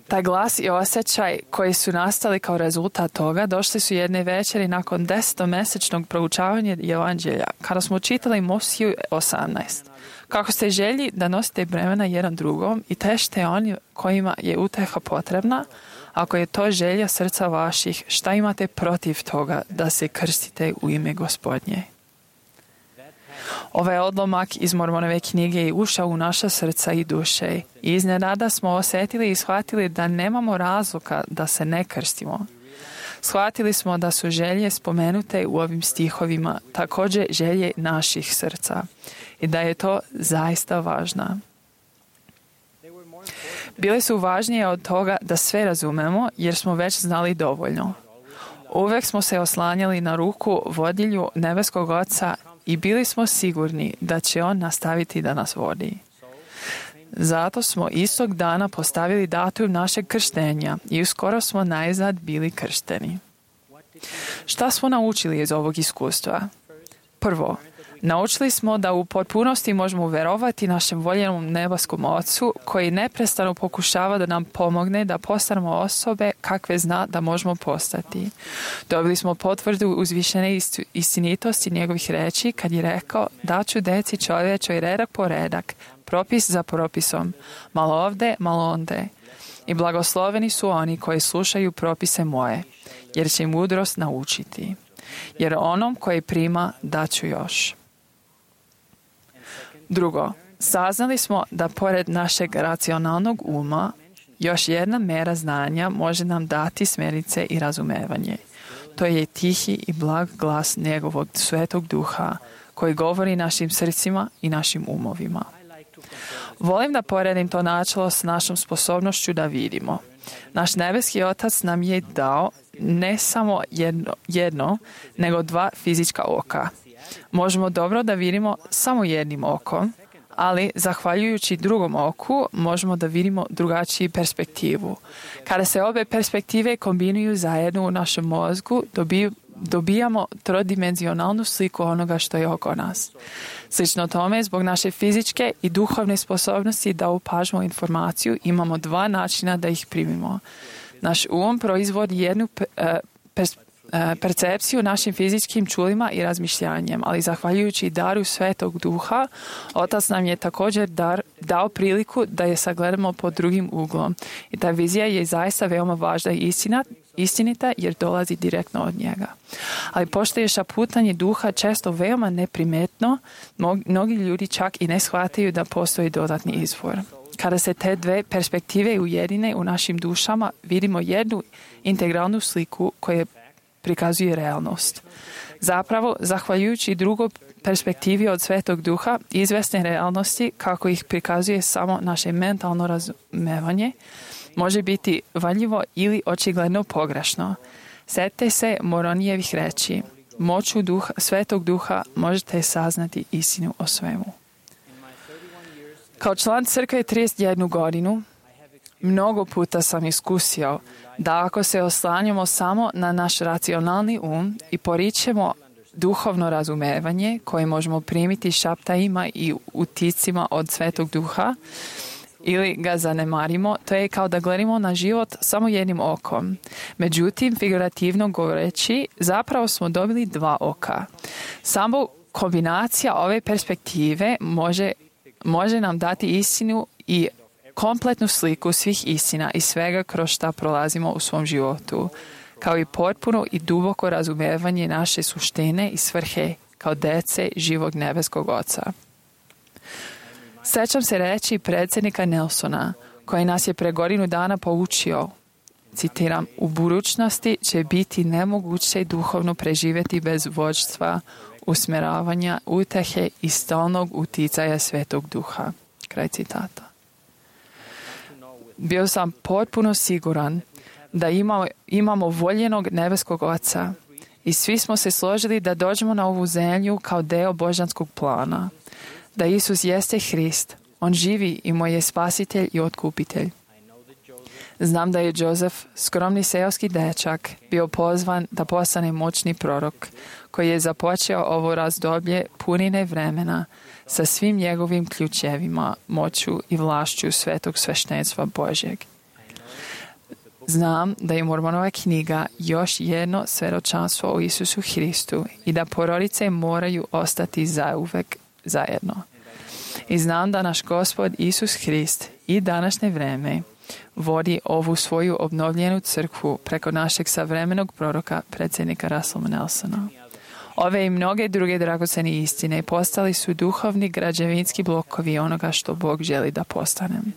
Taj glas i osjećaj koji su nastali kao rezultat toga došli su jedne večeri nakon desetomesečnog proučavanja Evanđelja, kada smo čitali Mosiju osamnaest. Kako ste želji da nosite bremena jedan drugom i težite oni kojima je uteha potrebna, ako je to želja srca vaših, šta imate protiv toga da se krstite u ime Gospodnje? Ovaj odlomak iz Mormonove knjige je ušao u naša srca i duše i iznenada smo osjetili i shvatili da nemamo razloga da se ne krstimo. Shvatili smo da su želje spomenute u ovim stihovima također želje naših srca i da je to zaista važno. Bile su važnije od toga da sve razumemo jer smo već znali dovoljno. Uvijek smo se oslanjali na ruku vodilju nebeskog Oca i bili smo sigurni da će On nastaviti da nas vodi. Zato smo istog dana postavili datum našeg krštenja i uskoro smo najzad bili kršteni. Šta smo naučili iz ovog iskustva? Prvo, Naučili smo da u potpunosti možemo verovati našem voljenom nebeskom Ocu koji neprestano pokušava da nam pomogne da postanemo osobe kakve zna da možemo postati. Dobili smo potvrdu uzvišene istinitosti njegovih reči kad je rekao da ću deci čovječoj redak po redak, propis za propisom, malo ovde, malo onde. I blagosloveni su oni koji slušaju propise moje, jer će mudrost naučiti. Jer onom koji prima daću još. Drugo, saznali smo da pored našeg racionalnog uma, još jedna mera znanja može nam dati smjernice i razumevanje. To je tihi i blag glas njegovog svetog duha koji govori našim srcima i našim umovima. Volim da poredim to načelo s našom sposobnošću da vidimo. Naš nebeski Otac nam je dao ne samo jedno, jedno, nego dva fizička oka. Možemo dobro da vidimo samo jednim okom, ali zahvaljujući drugom oku možemo da vidimo drugačiju perspektivu. Kada se obe perspektive kombinuju zajedno u našem mozgu, dobiju dobijamo trodimenzionalnu sliku onoga što je oko nas. Slično tome, zbog naše fizičke i duhovne sposobnosti da upažemo informaciju, imamo dva načina da ih primimo. Naš um proizvodi jednu percepciju našim fizičkim čulima i razmišljanjem, ali zahvaljujući daru Svetog Duha, Otac nam je također dar, dao priliku da je sagledamo pod drugim uglom. I ta vizija je zaista veoma važna i istina, istinita jer dolazi direktno od njega. Ali pošto je šaputanje duha često veoma neprimetno, mnogi ljudi čak i ne shvataju da postoji dodatni izvor. Kada se te dve perspektive ujedine u našim dušama, vidimo jednu integralnu sliku koja prikazuje realnost. Zapravo, zahvaljujući drugoj perspektivi od Svetog Duha, izvesne realnosti, kako ih prikazuje samo naše mentalno razumevanje, može biti valjivo ili očigledno pogrešno. Sjetite se Moronijevih reči. Moću duha, Svetog Duha možete saznati istinu o svemu. Kao član crkve trideset jednu godinu, mnogo puta sam iskusio da ako se oslanjamo samo na naš racionalni um i poričemo duhovno razumevanje koje možemo primiti šaptajima i uticima od Svetog Duha, ili ga zanemarimo, to je kao da gledamo na život samo jednim okom. Međutim, figurativno govoreći, zapravo smo dobili dva oka. Samo kombinacija ove perspektive može, može nam dati istinu i kompletnu sliku svih istina i svega kroz šta prolazimo u svom životu, kao i potpuno i duboko razumevanje naše suštine i svrhe kao dece živog nebeskog Oca. Sjećam se reći predsjednika Nelsona, koji nas je pre godinu dana poučio, citiram, u budućnosti će biti nemoguće duhovno preživjeti bez vođstva, usmjeravanja, utehe i stalnog uticaja Svetog Duha. Kraj citata. Bio sam potpuno siguran da imamo, imamo voljenog nebeskog Oca i svi smo se složili da dođemo na ovu zemlju kao deo božanskog plana. Da Isus jeste Hrist, On živi i moj je spasitelj i otkupitelj. Znam da je Jozef, skromni seoski dečak, bio pozvan da postane moćni prorok, koji je započeo ovo razdoblje punine vremena sa svim njegovim ključevima, moću i vlašću svetog sveštenstva Božjeg. Znam da je Mormonova knjiga još jedno svjedočanstvo o Isusu Hristu i da porodice moraju ostati zauvek zajedno. I znam da naš Gospod Isus Hrist i današnje vreme vodi ovu svoju obnovljenu crkvu preko našeg savremenog proroka, predsjednika Russella Nelsona. Ove i mnoge druge dragocene istine postali su duhovni građevinski blokovi onoga što Bog želi da postanem.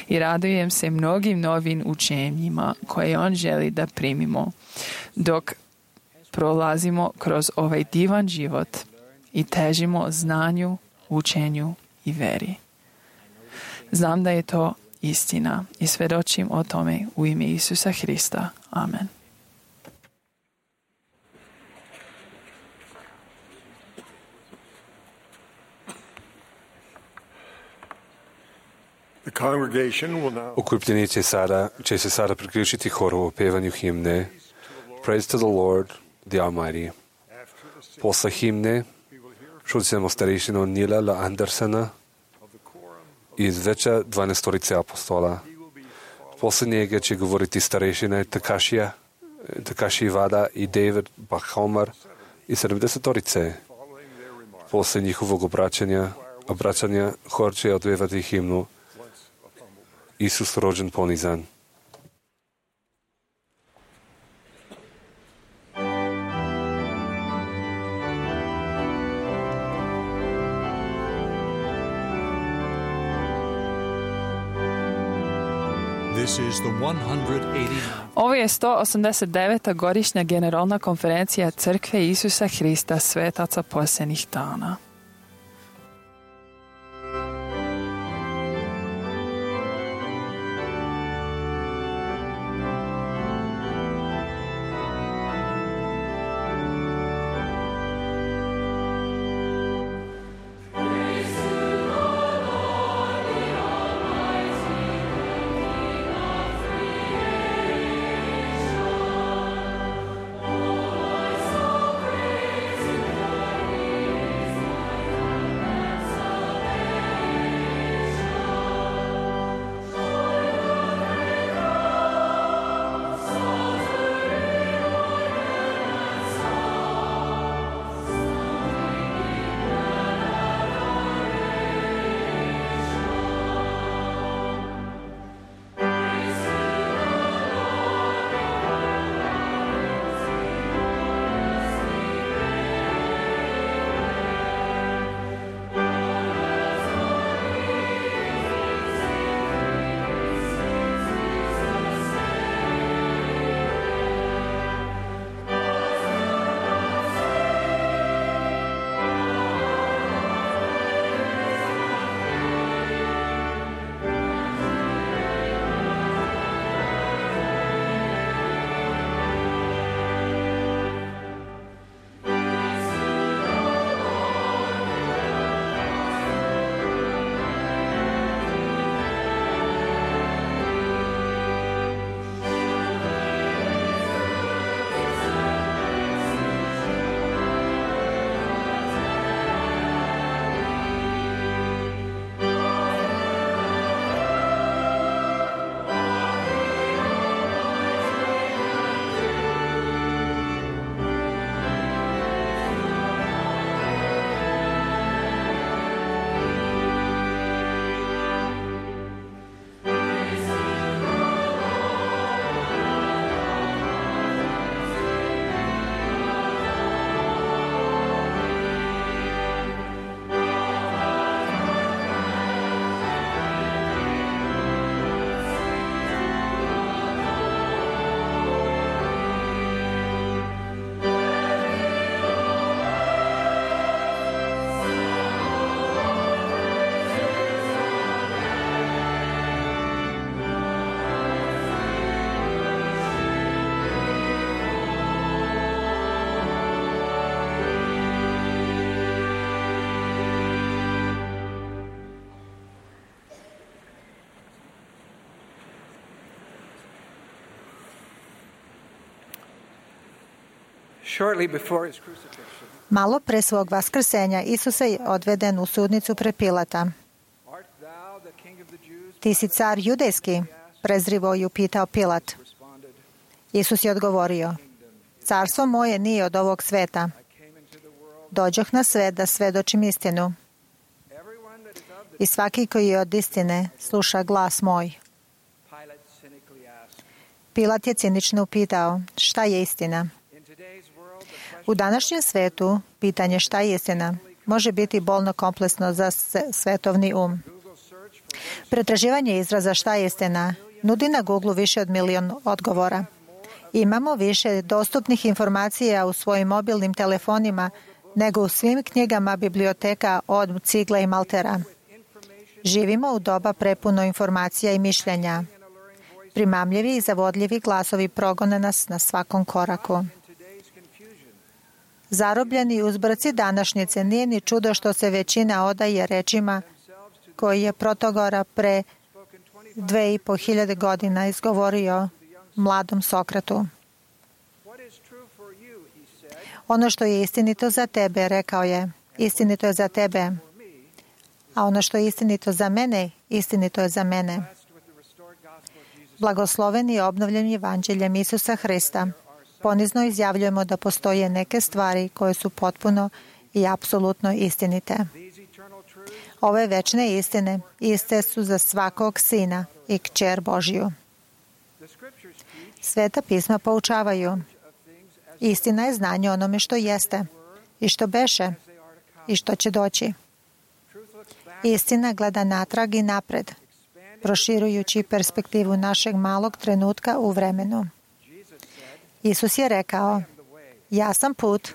I radujem se mnogim novim učenjima koje On želi da primimo dok prolazimo kroz ovaj divan život i težimo znanju, učenju i veri. Znam da je to istina i svjedočim o tome u ime Isusa Hrista. Amen. Okupljeni će, sada, će se sada priključiti horu o pevanju himne Praise to the Lord, the Almighty. Posle himne Čuli smo starešinu Nila L. Andersena iz veća dvanaestorice apostola. Poslije njega će govoriti starešine Takashija, Takashi Vada i David Bachhomer i sedamdesetorice. Poslije njihovog obraćanja, obraćanja hor će odvevati himnu Isus rođen ponizan. This is the one hundred eighty-ninth. Ovo je sto osamdeset deveta godišnja generalna konferencija Crkve Isusa Hrista svetaca posljednjih dana. Malo pre svog vaskrsenja Isus je odveden u sudnicu pred Pilata. Ti si car judejski, prezrivo ju pitao Pilat. Isus je odgovorio, carstvo moje nije od ovog sveta. Dođoh na svet da svedočim istinu. I svaki koji je od istine sluša glas moj. Pilat je cinično upitao, šta je istina? U današnjem svetu pitanje šta je istina može biti bolno kompleksno za svetovni um. Pretraživanje izraza šta je istina nudi na Google više od milion odgovora. Imamo više dostupnih informacija u svojim mobilnim telefonima nego u svim knjigama biblioteka od Cigla i Maltera. Živimo u doba prepuno informacija i mišljenja. Primamljivi i zavodljivi glasovi progone nas na svakom koraku. Zarobljeni uzbrci današnjice nije ni čudo što se većina odaje rečima koji je Protagora pre dve i po hiljade godina izgovorio mladom Sokratu. Ono što je istinito za tebe, rekao je, istinito je za tebe. A ono što je istinito za mene, istinito je za mene. Blagosloveni i obnovljeni evanđeljem Isusa Hrista, ponizno izjavljujemo da postoje neke stvari koje su potpuno i apsolutno istinite. Ove večne istine iste su za svakog sina i kćer Božiju. Sveta pisma poučavaju. Istina je znanje onome što jeste i što beše i što će doći. Istina gleda natrag i napred, proširujući perspektivu našeg malog trenutka u vremenu. Isus je rekao, ja sam put,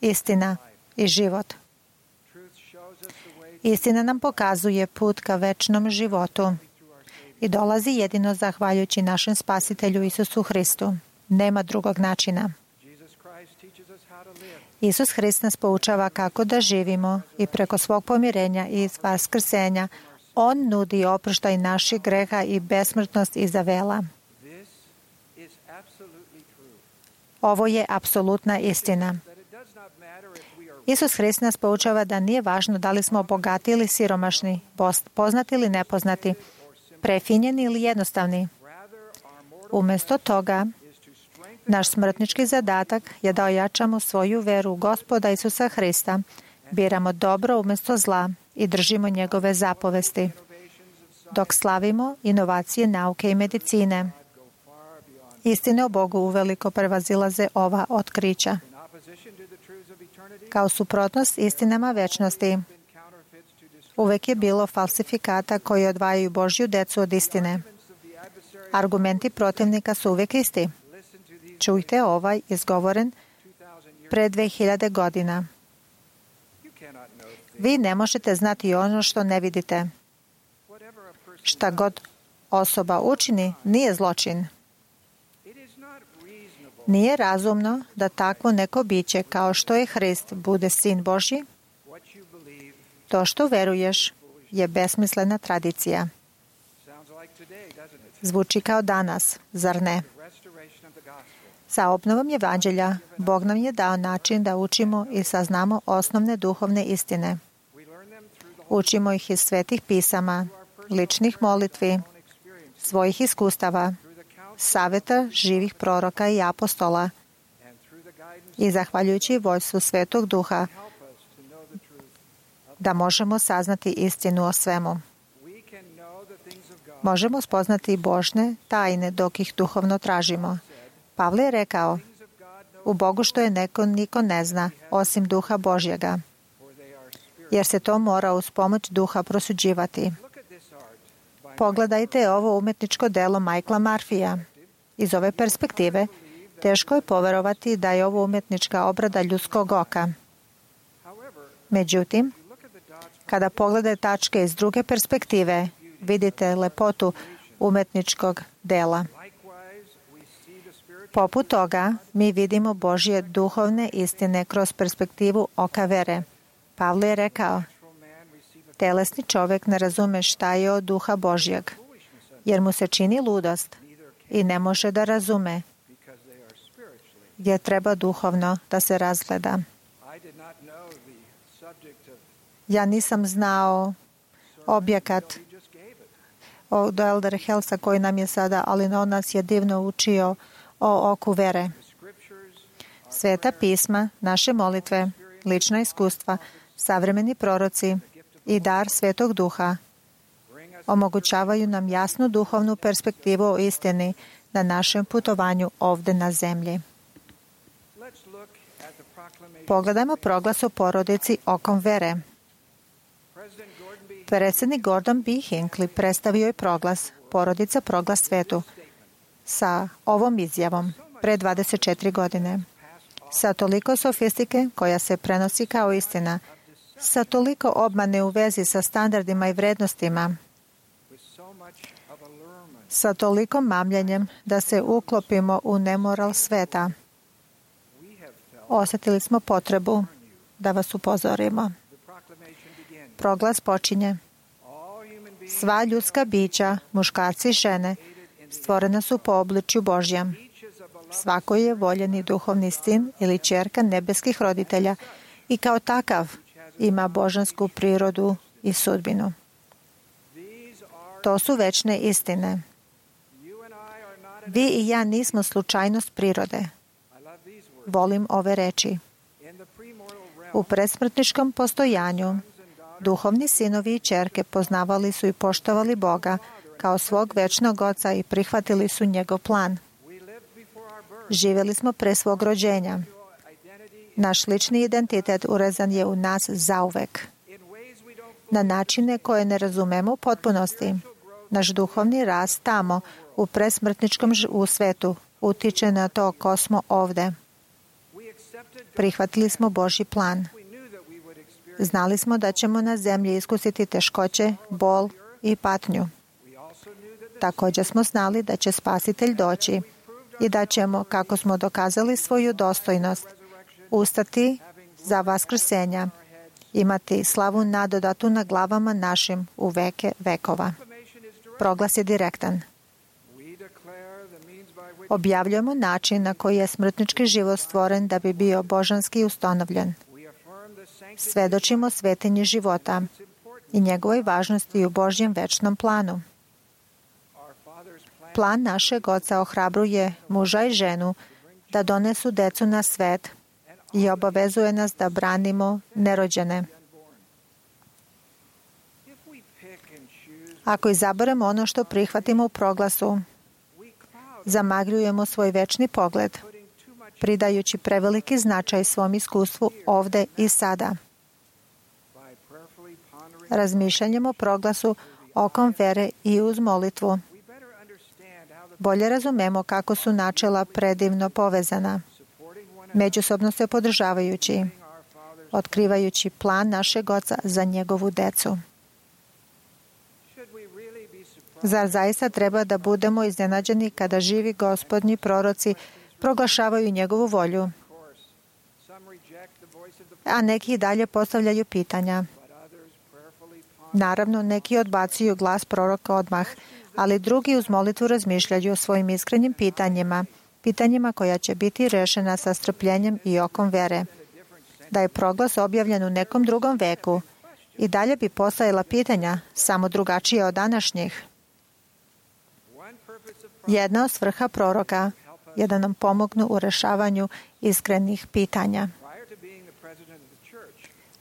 istina i život. Istina nam pokazuje put ka večnom životu i dolazi jedino zahvaljujući našem Spasitelju Isusu Hristu. Nema drugog načina. Isus Hrist nas poučava kako da živimo i preko svog pomirenja i vaskrsenja On nudi oproštaj naših greha i besmrtnost iza vela. Ovo je apsolutna istina. Isus Hrist nas poučava da nije važno da li smo bogati ili siromašni, poznati ili nepoznati, prefinjeni ili jednostavni. Umjesto toga, naš smrtnički zadatak je da ojačamo svoju veru u Gospoda Isusa Hrista, biramo dobro umjesto zla i držimo njegove zapovesti, dok slavimo inovacije nauke i medicine. Istine o Bogu uveliko prevazilaze ova otkrića. Kao suprotnost istinama večnosti, uvek je bilo falsifikata koji odvajaju Božju decu od istine. Argumenti protivnika su uvek isti. Čujte ovaj izgovoren pre dve hiljade godina. Vi ne možete znati ono što ne vidite. Šta god osoba učini, nije zločin. Nije razumno da takvo neko biće kao što je Hrist bude sin Božji. To što veruješ je besmislena tradicija. Zvuči kao danas, zar ne? Sa obnovom evanđelja, Bog nam je dao način da učimo i saznamo osnovne duhovne istine. Učimo ih iz svetih pisama, ličnih molitvi, svojih iskustava, saveta živih proroka i apostola i zahvaljujući vojstvu Svetog Duha da možemo saznati istinu o svemu. Možemo spoznati Božne tajne dok ih duhovno tražimo. Pavle je rekao, u Bogu što je neko niko ne zna, osim Duha Božjega, jer se to mora uz pomoć Duha prosuđivati. Pogledajte ovo umetničko delo Michaela Murphyja. Iz ove perspektive, teško je poverovati da je ovo umetnička obrada ljudskog oka. Međutim, kada pogledate tačke iz druge perspektive, vidite lepotu umetničkog dela. Poput toga, mi vidimo Božje duhovne istine kroz perspektivu oka vere. Pavle je rekao, telesni čovjek ne razume šta je od Duha Božjeg, jer mu se čini ludost i ne može da razume, gdje treba duhovno da se razgleda. Ja nisam znao objekat od Elder Helsa koji nam je sada, ali on nas je divno učio o oku vere. Sveta pisma, naše molitve, lična iskustva, savremeni proroci i dar Svetog Duha omogućavaju nam jasnu duhovnu perspektivu o istini na našem putovanju ovde na zemlji. Pogledajmo proglas o porodici okom vere. Predsjednik Gordon B. Hinckley predstavio je proglas Porodica proglas svetu sa ovom izjavom pre dvadeset četiri godine. Sa toliko sofistike koja se prenosi kao istina, sa toliko obmane u vezi sa standardima i vrednostima, sa toliko mamljenjem da se uklopimo u nemoral sveta, osjetili smo potrebu da vas upozorimo. Proglas počinje. Sva ljudska bića, muškarci i žene, stvorena su po obličju Božjem. Svako je voljeni duhovni sin ili ćerka nebeskih roditelja i kao takav ima božansku prirodu i sudbinu. To su večne istine. Vi i ja nismo slučajnost prirode. Volim ove reči. U predsmrtničkom postojanju duhovni sinovi i ćerke poznavali su i poštovali Boga kao svog večnog oca i prihvatili su njegov plan. Živjeli smo pre svog rođenja. Naš lični identitet urezan je u nas zauvek. Na načine koje ne razumemo u potpunosti. Naš duhovni rast tamo, u presmrtničkom u svetu, utiče na to ko smo ovde. Prihvatili smo Božji plan. Znali smo da ćemo na zemlji iskusiti teškoće, bol i patnju. Također smo znali da će Spasitelj doći i da ćemo, kako smo dokazali svoju dostojnost, ustati za vaskrsenja, imati slavu nadodatu na glavama našim u veke vekova. Proglas je direktan. Objavljujemo način na koji je smrtnički život stvoren da bi bio božanski ustanovljen. Svedočimo svetinji života i njegovoj važnosti u Božjem večnom planu. Plan našeg Oca ohrabruje muža i ženu da donesu decu na svet i obavezuje nas da branimo nerođene. Ako izaberemo ono što prihvatimo u proglasu, zamagljujemo svoj večni pogled, pridajući preveliki značaj svom iskustvu ovde i sada. Razmišljanjem o proglasu okom vere i uz molitvu, bolje razumemo kako su načela predivno povezana, međusobno se podržavajući, otkrivajući plan našeg Oca za njegovu decu. Zar zaista treba da budemo iznenađeni kada živi gospodnji proroci proglašavaju njegovu volju, a neki dalje postavljaju pitanja? Naravno, neki odbacuju glas proroka odmah, ali drugi uz molitvu razmišljaju o svojim iskrenim pitanjima, pitanjima koja će biti rešena sa strpljenjem i okom vere. Da je proglas objavljen u nekom drugom veku, i dalje bi postojala pitanja, samo drugačije od današnjih. Jedna od svrha proroka je da nam pomognu u rešavanju iskrenih pitanja.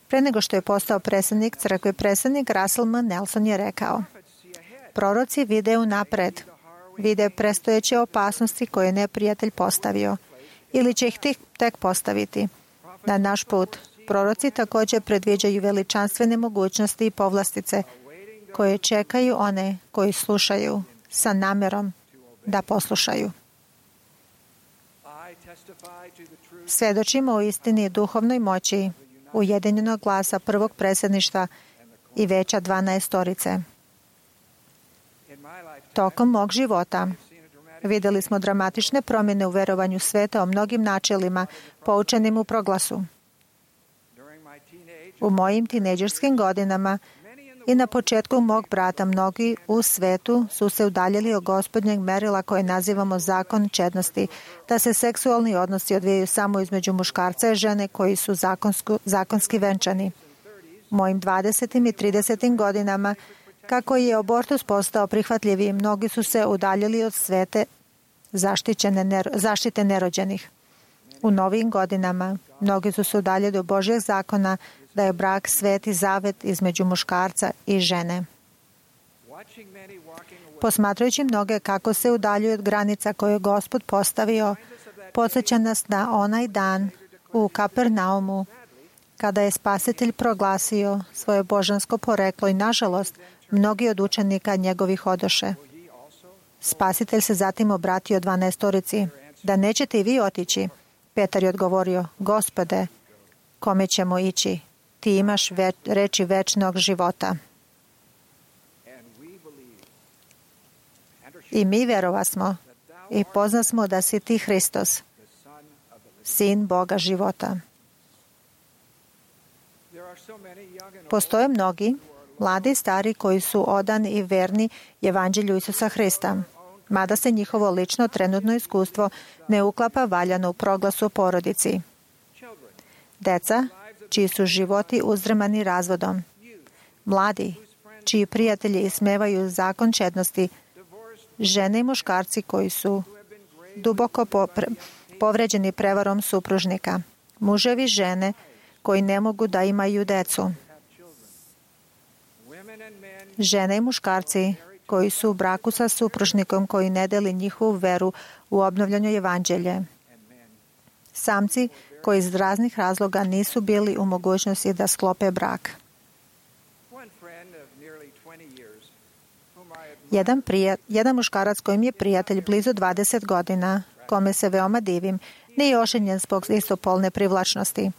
Pre nego što je postao predsednik crkve, predsednik Russell M. Nelson je rekao: proroci vide unapred, vide prestojeće opasnosti koje je neprijatelj postavio ili će ih tek postaviti. Na naš put, proroci također predviđaju veličanstvene mogućnosti i povlastice koje čekaju one koji slušaju sa namerom da poslušaju. Svedočimo o istini duhovnoj moći ujedinjenog glasa prvog predsjedništva i veća dvanaestorice. Tokom mog života videli smo dramatične promjene u verovanju sveta o mnogim načelima poučenim u proglasu. U mojim tinejdžerskim godinama i na početku mog brata mnogi u svetu su se udaljili od gospodnjeg merila koje nazivamo zakon čednosti, da se seksualni odnosi odvijaju samo između muškarca i žene koji su zakonsku, zakonski venčani. U mojim dvadesetim i tridesetim godinama, kako je abortus postao prihvatljiviji, mnogi su se udaljili od svete zaštićene, zaštite nerođenih. U novim godinama, mnogi su se udaljili od Božjeg zakona da je brak sveti zavet između muškarca i žene. Posmatrajući mnoge kako se udaljuju od granica koje je Gospod postavio, podsjeća nas na onaj dan u Kapernaumu, kada je Spasitelj proglasio svoje božansko poreklo i, nažalost, mnogi od učenika njegovih odoše. Spasitelj se zatim obratio dvanaestorici: da nećete i vi otići? Petar je odgovorio: Gospode, kome ćemo ići? Ti imaš več, reči večnog života. I mi verovasmo i poznasmo da si ti Hristos, Sin Boga života. Postoje mnogi, mladi i stari, koji su odani i verni evanđelju Isusa Hrista, mada se njihovo lično trenutno iskustvo ne uklapa valjano u proglasu o porodici. Deca, čiji su životi uzdrmani razvodom. Mladi, čiji prijatelji ismevaju zakon čednosti, žene i muškarci koji su duboko povređeni prevarom supružnika, muževi žene koji ne mogu da imaju decu, žene i muškarci koji su u braku sa supružnikom koji ne deli njihovu veru u obnovljeno evanđelje, samci koji iz raznih razloga nisu bili u mogućnosti da sklope brak. Jedan, prija, jedan muškarac kojim je prijatelj blizu dvadeset godina, kome se veoma divim, nije oženjen zbog istopolne privlačnosti.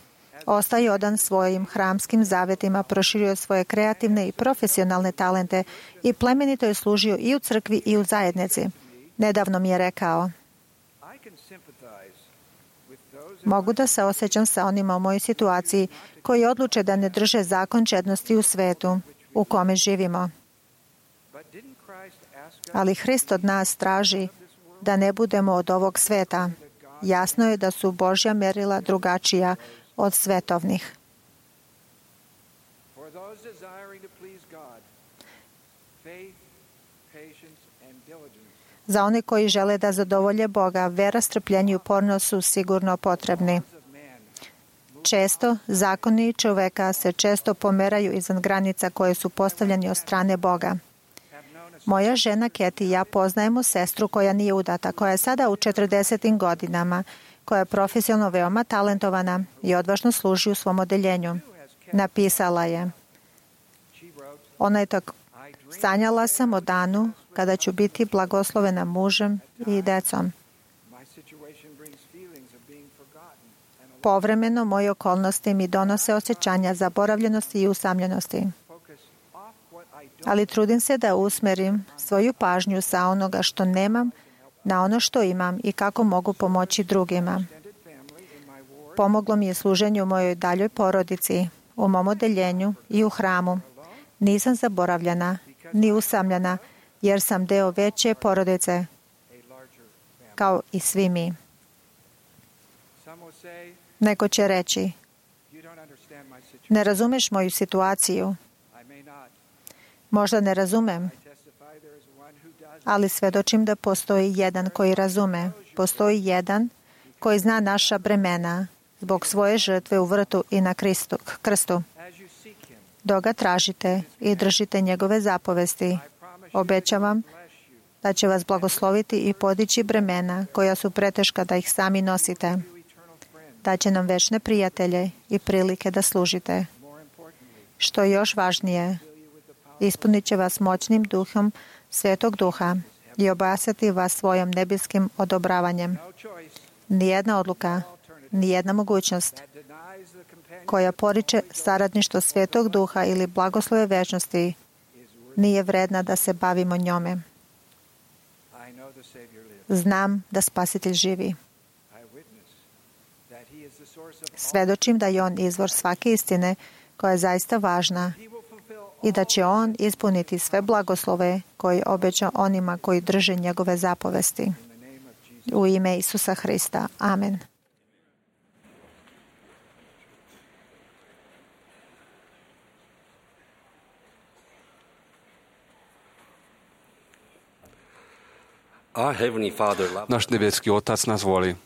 Ostaje odan svojim hramskim zavetima, proširio svoje kreativne i profesionalne talente i plemenito je služio i u crkvi i u zajednici. Nedavno mi je rekao: mogu da se osjećam sa onima u mojoj situaciji koji odluče da ne drže zakon čednosti u svetu u kome živimo. Ali Hrist od nas traži da ne budemo od ovog sveta. Jasno je da su Božja merila drugačija od svetovnih. Za one koji žele da zadovolje Boga, vera, strpljenje i upornost su sigurno potrebni. Često zakoni čoveka se često pomeraju izvan granica koje su postavljene od strane Boga. Moja žena Keti i ja poznajemo sestru koja nije udata, koja je sada u četrdesetim godinama, koja je profesionalno veoma talentovana i odvažno služi u svom odeljenju. Napisala je: ona je tako: sanjala sam o danu kada ću biti blagoslovena mužem i decom. Povremeno moje okolnosti mi donose osjećanja zaboravljenosti i usamljenosti. Ali trudim se da usmerim svoju pažnju sa onoga što nemam na ono što imam i kako mogu pomoći drugima. Pomoglo mi je služenje u mojoj daljoj porodici, u mom odeljenju i u hramu. Nisam zaboravljena, ni usamljena, jer sam deo veće porodice, kao i svi mi. Neko će reći: ne razumeš moju situaciju. Možda ne razumem, ali svedočim da postoji jedan koji razume. Postoji jedan koji zna naša bremena zbog svoje žrtve u vrtu i na Kristu, krstu. Dok ga tražite i držite njegove zapovesti, obećavam da će vas blagosloviti i podići bremena koja su preteška da ih sami nosite. Da će nam večne prijatelje i prilike da služite. Što je još važnije, ispunit će vas moćnim duhom Svetog Duha i obasjati vas svojom nebeskim odobravanjem. Nijedna odluka, nijedna mogućnost koja poriče saradništvo Svetog Duha ili blagoslove večnosti nije vredna da se bavimo njome. Znam da Spasitelj živi. Svedočim da je On izvor svake istine koja je zaista važna i da će On ispuniti sve blagoslove koje obeća onima koji drže njegove zapovesti. U ime Isusa Hrista. Amen. Naš nebeski Otac nas voli.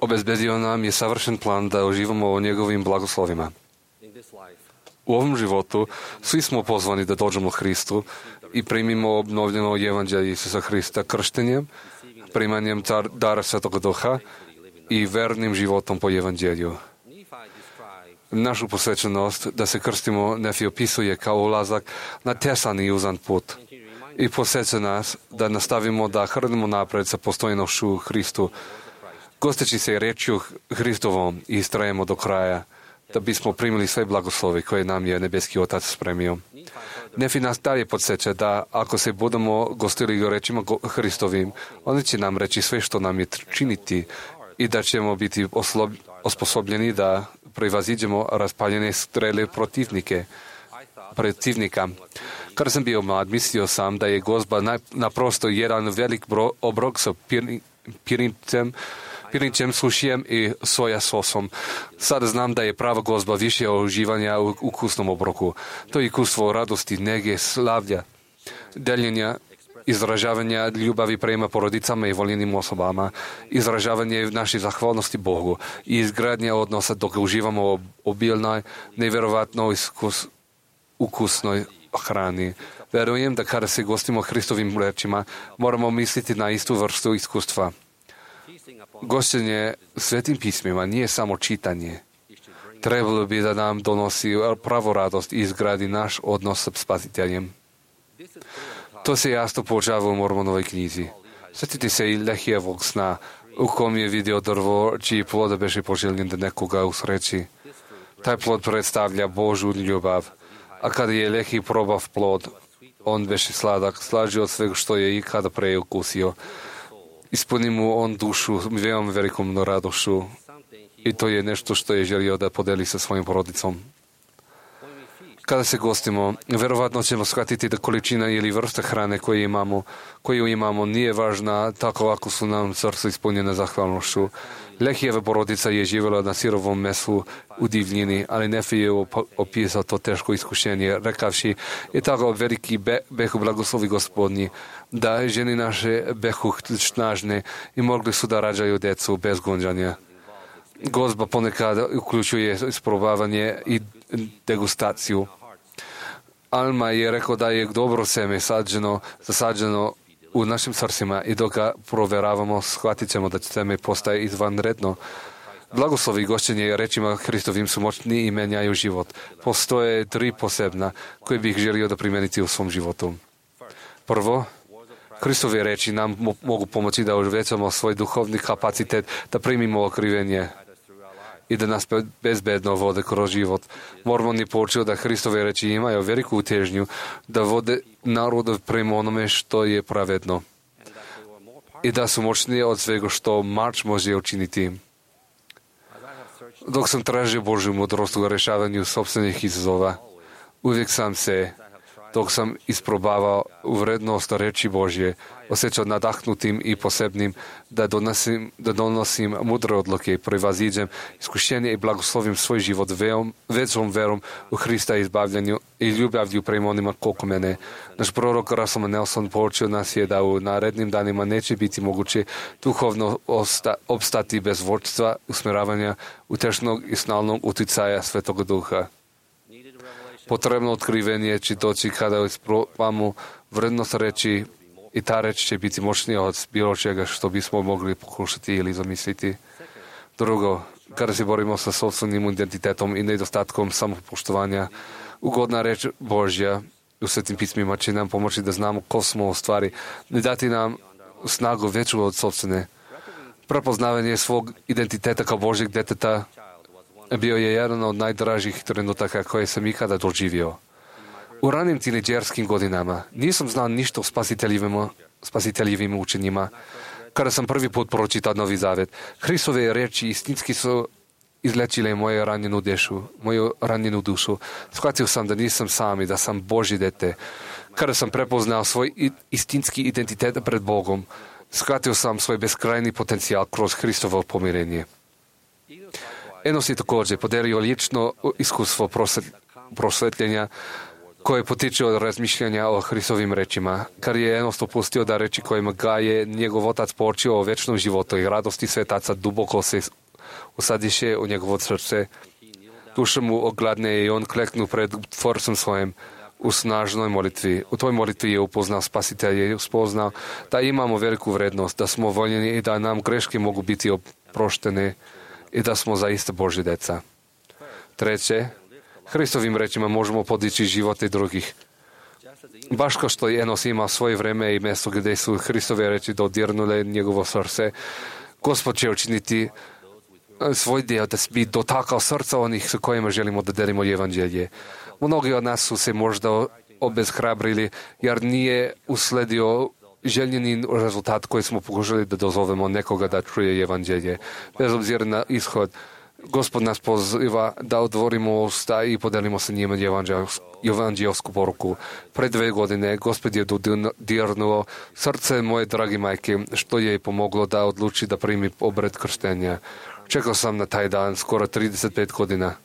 Obezbedio nam je savršen plan da uživamo o njegovim blagoslovima. U ovom životu svi smo pozvani da dođemo Hristu i primimo obnovljeno evanđelje Isusa Hrista krštenjem, primanjem dara Svetog Duha i vernim životom po evanđelju. Našu posvećenost da se krstimo Nefi opisuje kao ulazak na tesan i uzan put i posjeća nas da nastavimo da hrnemo napred sa postojnošću Hristu, gosteći se rečju Hristovom i istrajemo do kraja, da bismo primili sve blagoslovi koje nam je nebeski Otac spremio. Nefi nas dalje podsjeća da ako se budemo gostili rečima Hristovim, on će nam reći sve što nam je činiti i da ćemo biti oslob, osposobljeni da prevaziđemo raspaljene strele protivnike, protivnika. Kada sam bio mlad, mislio sam da je gozba naprosto jedan velik bro, obrok sa pir, pirnicem pirinčem, sušijem i soja sosom. Sada znam da je prava gozba više uživanja u ukusnom obroku. To je iskustvo radosti, nege, slavlja, deljenja, izražavanja ljubavi prema porodicama i voljenim osobama, izražavanje naše zahvalnosti Bogu i izgradnja odnosa dok uživamo obilnoj, nevjerovatno iskus, ukusnoj hrani. Verujem da kada se gostimo Hristovim rečima, moramo misliti na istu vrstu iskustva. Gošćenje svetim pismima nije samo čitanje. Trebalo bi da nam donosi pravu radost i izgradi naš odnos sa Spasiteljem. To se jasno poučava u Mormonovoj knjizi. Sjetite se i Lehijevog sna, u kom je vidio drvo, čiji plod beše poželjen da nekoga usreći. Taj plod predstavlja Božju ljubav, a kada je Lehi probav plod, on beše sladak, slađi od svega što je ikada pre ukusio. Ispuni mu on dušu veoma velikom radošću i to je nešto što je želio da podeli sa svojim porodicom. Kada se gostimo, verovatno ćemo shvatiti da količina ili vrsta hrane koju imamo, koju imamo nije važna tako ako su nam srce ispunjene zahvalnošću. Lehijeva porodica je živjela na sirovom mesu u divljini, ali Nefi je opisao to teško iskušenje, rekavši i tako veliki be, behu blagoslovi Gospodnji, da ženi naše behu snažne i mogli su da rađaju decu bez gonđanja. Gozba ponekad uključuje isprobavanje i degustaciju. Alma je rekao da je dobro seme sađeno, zasađeno u našim srcima i dok ga proveravamo, shvatit ćemo da seme postaje izvanredno. Blagoslovi gošćenje rečima Hristovim su moćni i menjaju život. Postoje tri posebna koje bih želio da primeniti u svom životu. Prvo, Hristove reči nam mogu pomoći da uvećamo svoj duhovni kapacitet, da primimo okrivenje i da nas bezbedno vode kroz život. Mormon je poučio da Hristove reči imaju veliku težnju da vode narod prema onome što je pravedno i da su moćnije od svega što mač može učiniti. Dok sam tražio Božju mudrost u rešavanju sopstvenih izazova, uvijek sam se, dok sam isprobavao vrednost reči Božje, osjećao nadahnutim i posebnim da donosim, da donosim mudre odluke, prevaziđem iskušenje i blagoslovim svoj život veom, većom verom u Hrista izbavljanju i ljubavlju prema onima koliko mene. Naš prorok Russell Nelson poučio nas je da u narednim danima neće biti moguće duhovno osta, opstati bez vodstva, usmjeravanja, utešnog i snalnog uticaja Svetoga Duha. Potrebno otkrivenje će doći kada isprobamo vrednost reči i ta reč će biti moćnija od bilo čega što bismo mogli pokušati ili zamisliti. Drugo, kada se borimo sa sopstvenim identitetom i nedostatkom samopoštovanja, ugodna reč Božja u Svetim pismima će nam pomoći da znamo ko smo u stvari, ne dati nam snagu veću od sopstvene. Prepoznavanje svog identiteta kao Božjeg deteta bio je jedan od najdražih trenutaka koje sam ikada doživio. U ranim tineđerskim godinama nisam znao ništa o spasiteljivim, spasiteljivim učenjima. Kada sam prvi put pročitao Novi Zavet, Hristove reči istinski su izlečile moju ranjenu dušu, moju ranjenu dušu. Shvatio sam da nisam sam i da sam Božje dete. Kada sam prepoznao svoj istinski identitet pred Bogom, shvatio sam svoj beskrajni potencijal kroz Hristovo pomirenje. Enos je također podelio lično iskustvo prosvetljenja koje potiče od razmišljanja o Hristovim rečima. Kad je Enos dopustio da reči kojima ga je njegov otac poučio o večnom životu i radosti svetaca duboko se usadiše u njegovo srce, duša mu ogladne i on kleknu pred Tvorcem svojim u snažnoj molitvi. U toj molitvi je upoznao Spasitelja i uspoznao da imamo veliku vrednost, da smo voljeni i da nam greške mogu biti oproštene i da smo zaista Božje deca. Treće, Hristovim rečima možemo podići živote drugih. Baš kao što je Enos imao svoje vreme i mjesto gdje su Hristove reči dodirnule njegovo srce, Gospod će učiniti svoj dio da bi dotakao srca onih sa kojima želimo da delimo evanđelje. Mnogi od nas su se možda obeshrabrili jer nije usledio željeni rezultat koji smo pokušali da dozovemo nekoga da čuje evanđelje. Bez obzira na ishod, Gospod nas poziva da otvorimo usta i podelimo sa njima evanđelsku poruku. Pre dve godine Gospod je dodirnuo srce moje drage majke, što je pomoglo da odluči da primi obred krštenja. Čekao sam na taj dan skoro trideset pet godina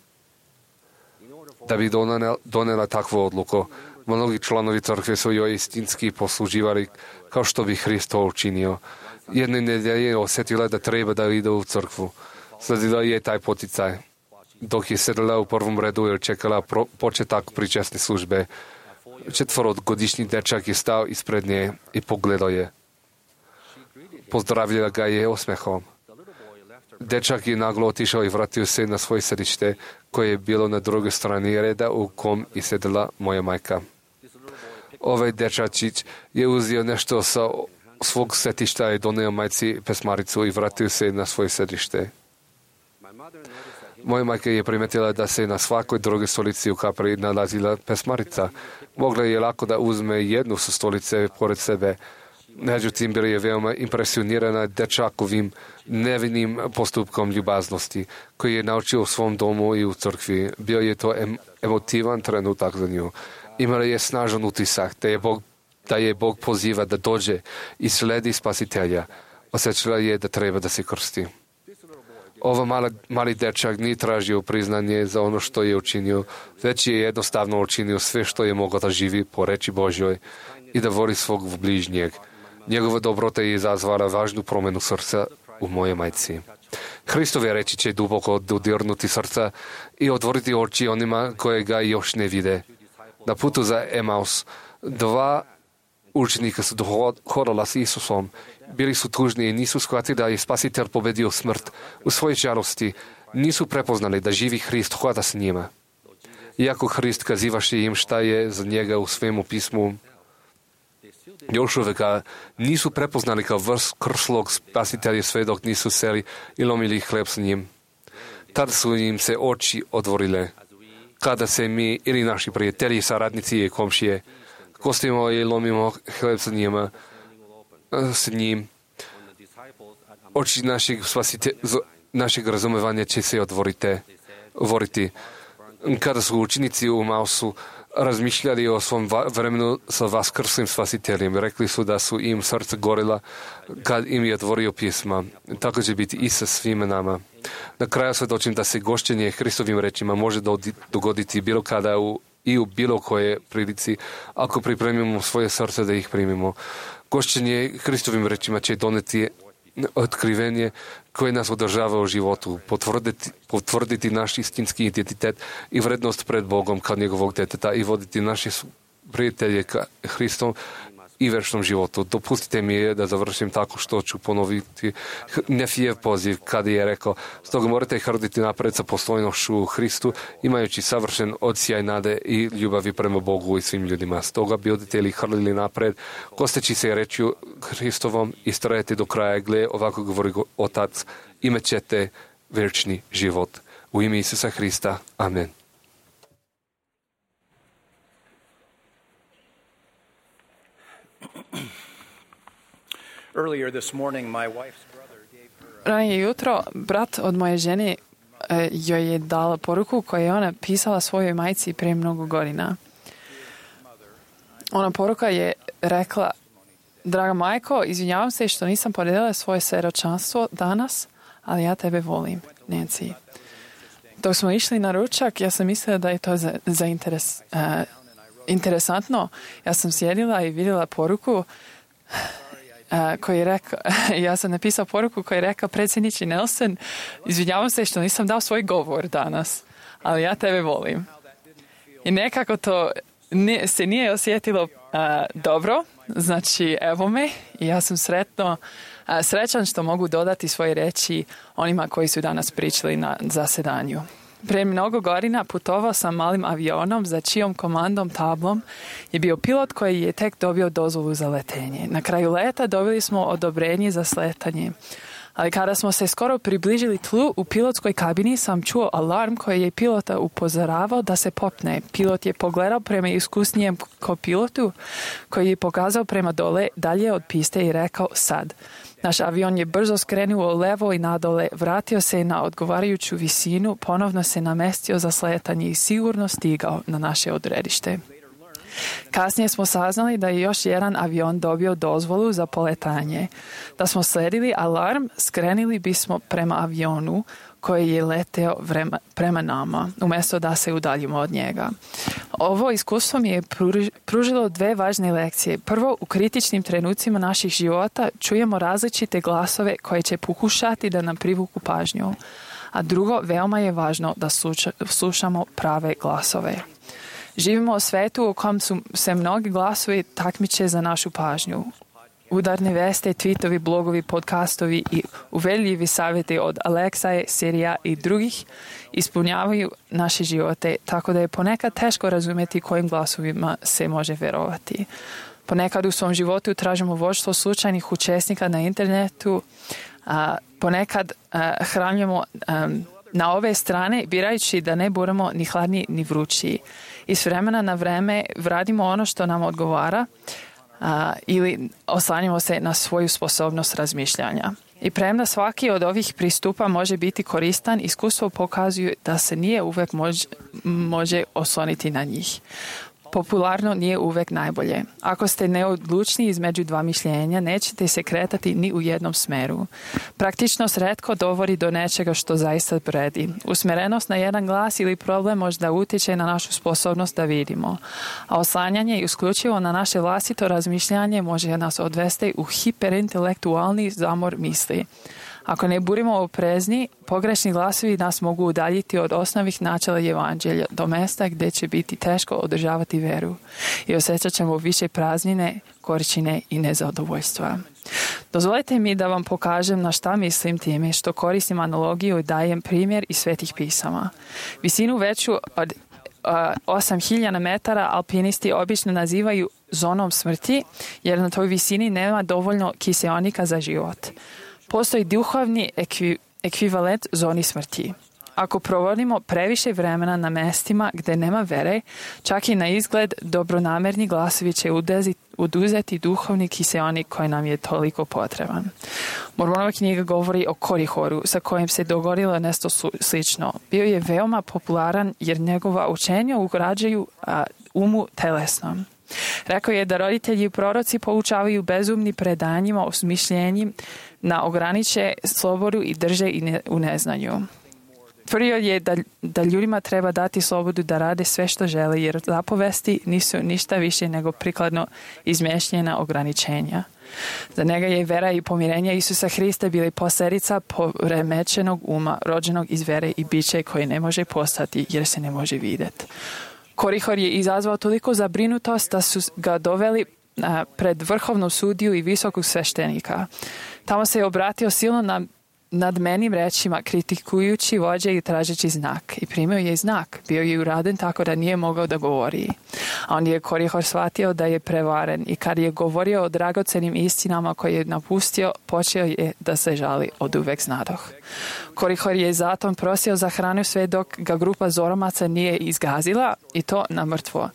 da bi donela, donela takvu odluku. Mnogi članovi crkve su joj istinski posluživali kao što bi Hrist to učinio. Jedne nedelje osjetila da treba da ide u crkvu. Sledila je taj poticaj. Dok je sedela u prvom redu i čekala pro, početak pričasne službe, četvorogodišnji dečak je stao ispred nje i pogledao je. Pozdravila ga je osmehom. Dečak je naglo otišao i vratio se na svoje sedište, koje je bilo na drugoj strani reda u kom je sedela moja majka. Ovaj dečačić je uzeo nešto sa svog sedišta i doneo majci pesmaricu i vratio se na svoje sedište. Moja majka je primetila da se na svakoj drugoj stolici u kapri nalazila pesmarica. Mogla je lako da uzme jednu sa stolice pored sebe. Međutim, bila je veoma impresionirana dečakovim nevinim postupkom ljubaznosti, koji je naučio u svom domu i u crkvi. Bio je to em, emotivan trenutak za nju. Imala je snažan utisak da je Bog, da je Bog poziva da dođe i sledi Spasitelja. Osjećala je da treba da se krsti. Ovo mala, mali dečak nije tražio priznanje za ono što je učinio, već je jednostavno učinio sve što je mogao da živi po reči Božjoj i da voli svog bližnjeg. Njegova dobrota je izazvala važnu promenu srca u moje majci. Hristove reči će duboko dodirnuti srca i otvoriti oči onima koje ga još ne vide. Na putu za Emaus dva učenika su hodala s Isusom. Bili su tužni i nisu shvatili da je Spasitelj pobedio smrt. U svojoj žalosti nisu prepoznali da živi Hrist hoda s njima. Iako Hrist kazivaše im šta je za njega u svemu pismu, još uvek ga nisu prepoznali kao vrslog Spasitelja sve dok nisu seli i lomili hleb s njim. Tada su im se oči otvorile. Kada se mi ili naši prijatelji, saradnici i komšije kostimo i lomimo hleb sa njima, s njim, oči našeg, spasite, našeg razumevanja će se otvoriti. Kada su učenici u Mausu razmišljali o svom vremenu sa vaskrslim Spasiteljem, rekli su da su im srce gorila kad im je otvorio pisma. Tako će biti i sa svima nama. Na kraju svedočim da se gošćenje Hristovim rečima može dogoditi bilo kada u, i u bilo koje prilici, ako pripremimo svoje srce da ih primimo. Gošćenje Hristovim rečima će doneti otkrivenje koje nas održava u životu, potvrditi, potvrditi naš istinski identitet i vrednost pred Bogom kao njegovog deteta i voditi naše prijatelje ka Hristom i večnom životu. Dopustite mi da završim tako što ću ponoviti Nefijev poziv kada je rekao: stoga morate hrditi napred sa postojnošću u Hristu, imajući savršen odsjaj nade i ljubavi prema Bogu i svim ljudima. Stoga budete li hrlili napred, kosteći se rečju Hristovom i strajete do kraja. Gle, ovako govori Otac, imat ćete večni život. U ime Isusa Hrista. Amen. Ranije jutro brat od moje žene e, joj je dala poruku koju je ona pisala svojoj majci prije mnogo godina. Ona poruka je rekla: draga majko, izvinjavam se što nisam podijelila svoje svjedočanstvo danas, ali ja tebe volim, Nancy. Dok smo išli na ručak, ja sam mislila da je to za, za interes, uh, interesantno. Ja sam sjedila i vidjela poruku Uh, koji je rekao, ja sam napisao poruku koji je rekao: predsjedniče Nelson, izvinjavam se što nisam dao svoj govor danas, ali ja tebe volim. I nekako to ne, se nije osjetilo uh, dobro, znači evo me i ja sam sretno, uh, srećan što mogu dodati svoje reči onima koji su danas pričali na zasedanju. Prije mnogo godina putovao sam malim avionom za čijom komandom tablom je bio pilot koji je tek dobio dozvolu za letenje. Na kraju leta dobili smo odobrenje za sletanje. Ali kada smo se skoro približili tlu, u pilotskoj kabini sam čuo alarm koji je pilota upozoravao da se popne. Pilot je pogledao prema iskusnijem kopilotu koji je pokazao prema dole dalje od piste i rekao: sad. Naš avion je brzo skrenuo levo i nadole, vratio se na odgovarajuću visinu, ponovno se namestio za sletanje i sigurno stigao na naše odredište. Kasnije smo saznali da je još jedan avion dobio dozvolu za poletanje. Da smo sledili alarm, skrenuli bismo prema avionu koji je leteo vrema, prema nama, umjesto da se udaljimo od njega. Ovo iskustvo mi je pružilo dve važne lekcije. Prvo, u kritičnim trenucima naših života čujemo različite glasove koje će pokušati da nam privuku pažnju. A drugo, veoma je važno da sluša, slušamo prave glasove. Živimo u svetu u kojem su se mnogi glasovi takmiče za našu pažnju. Udarne veste, tweetovi, blogovi, podcastovi i uveljivi savjeti od Aleksaje, Sirija i drugih ispunjavaju naše živote, tako da je ponekad teško razumjeti kojim glasovima se može vjerovati. Ponekad u svom životu tražimo vođstvo slučajnih učesnika na internetu, a ponekad a, hranjujemo a, na ove strane, birajući da ne budemo ni hladni ni vrući. I s vremena na vreme vradimo ono što nam odgovara, a, ili oslanjamo se na svoju sposobnost razmišljanja. I premda svaki od ovih pristupa može biti koristan, iskustvo pokazuje da se nije uvek mož, može osloniti na njih. Popularno nije uvek najbolje. Ako ste neodlučni između dva mišljenja, nećete se kretati ni u jednom smeru. Praktičnost retko dovodi do nečega što zaista vredi. Usmjerenost na jedan glas ili problem možda utječe na našu sposobnost da vidimo. A oslanjanje isključivo na naše vlastito razmišljanje može nas odvesti u hiperintelektualni zamor misli. Ako ne budemo oprezni, pogrešni glasovi nas mogu udaljiti od osnovnih načela evanđelja do mjesta gdje će biti teško održavati veru i osjećat ćemo više praznine, gorčine i nezadovoljstva. Dozvolite mi da vam pokažem na šta mislim time što koristim analogiju i dajem primjer iz svetih pisama. Visinu veću od osam hiljada metara alpinisti obično nazivaju zonom smrti jer na toj visini nema dovoljno kiseonika za život. Postoji duhovni ekvi, ekvivalent zoni smrti. Ako provodimo previše vremena na mestima gdje nema vere, čak i na izgled dobronamerni glasovi će oduzeti duhovni kiseonik koji nam je toliko potreban. Mormonova knjiga govori o Korihoru sa kojim se dogodilo nešto slično. Bio je veoma popularan jer njegova učenja ugrađuju a, umu telesnom. Rekao je da roditelji i proroci poučavaju bezumni predanjima o smišljenju na ograniče slobodu i drže i ne, u neznanju. Tvrdio je da, da ljudima treba dati slobodu da rade sve što žele jer zapovesti nisu ništa više nego prikladno izmješljena ograničenja. Za njega je vera i pomirenje Isusa Hrista bili posljedica poremećenog uma, rođenog iz vere i biće koje ne može postati jer se ne može vidjeti. Korihor je izazvao toliko zabrinutost da su ga doveli a, pred vrhovnu sudiju i visokog sveštenika. Tamo se je obratio silno na nadmenim rečima, kritikujući vođe i tražeći znak. I primio je znak. Bio je uraden tako da nije mogao da govori. A onda je Korihor shvatio da je prevaren i kad je govorio o dragocenim istinama koje je napustio, počeo je da se žali od uvek znadoh. Korihor je zatom prosio za hranu sve dok ga grupa zoromaca nije izgazila i to na mrtvo.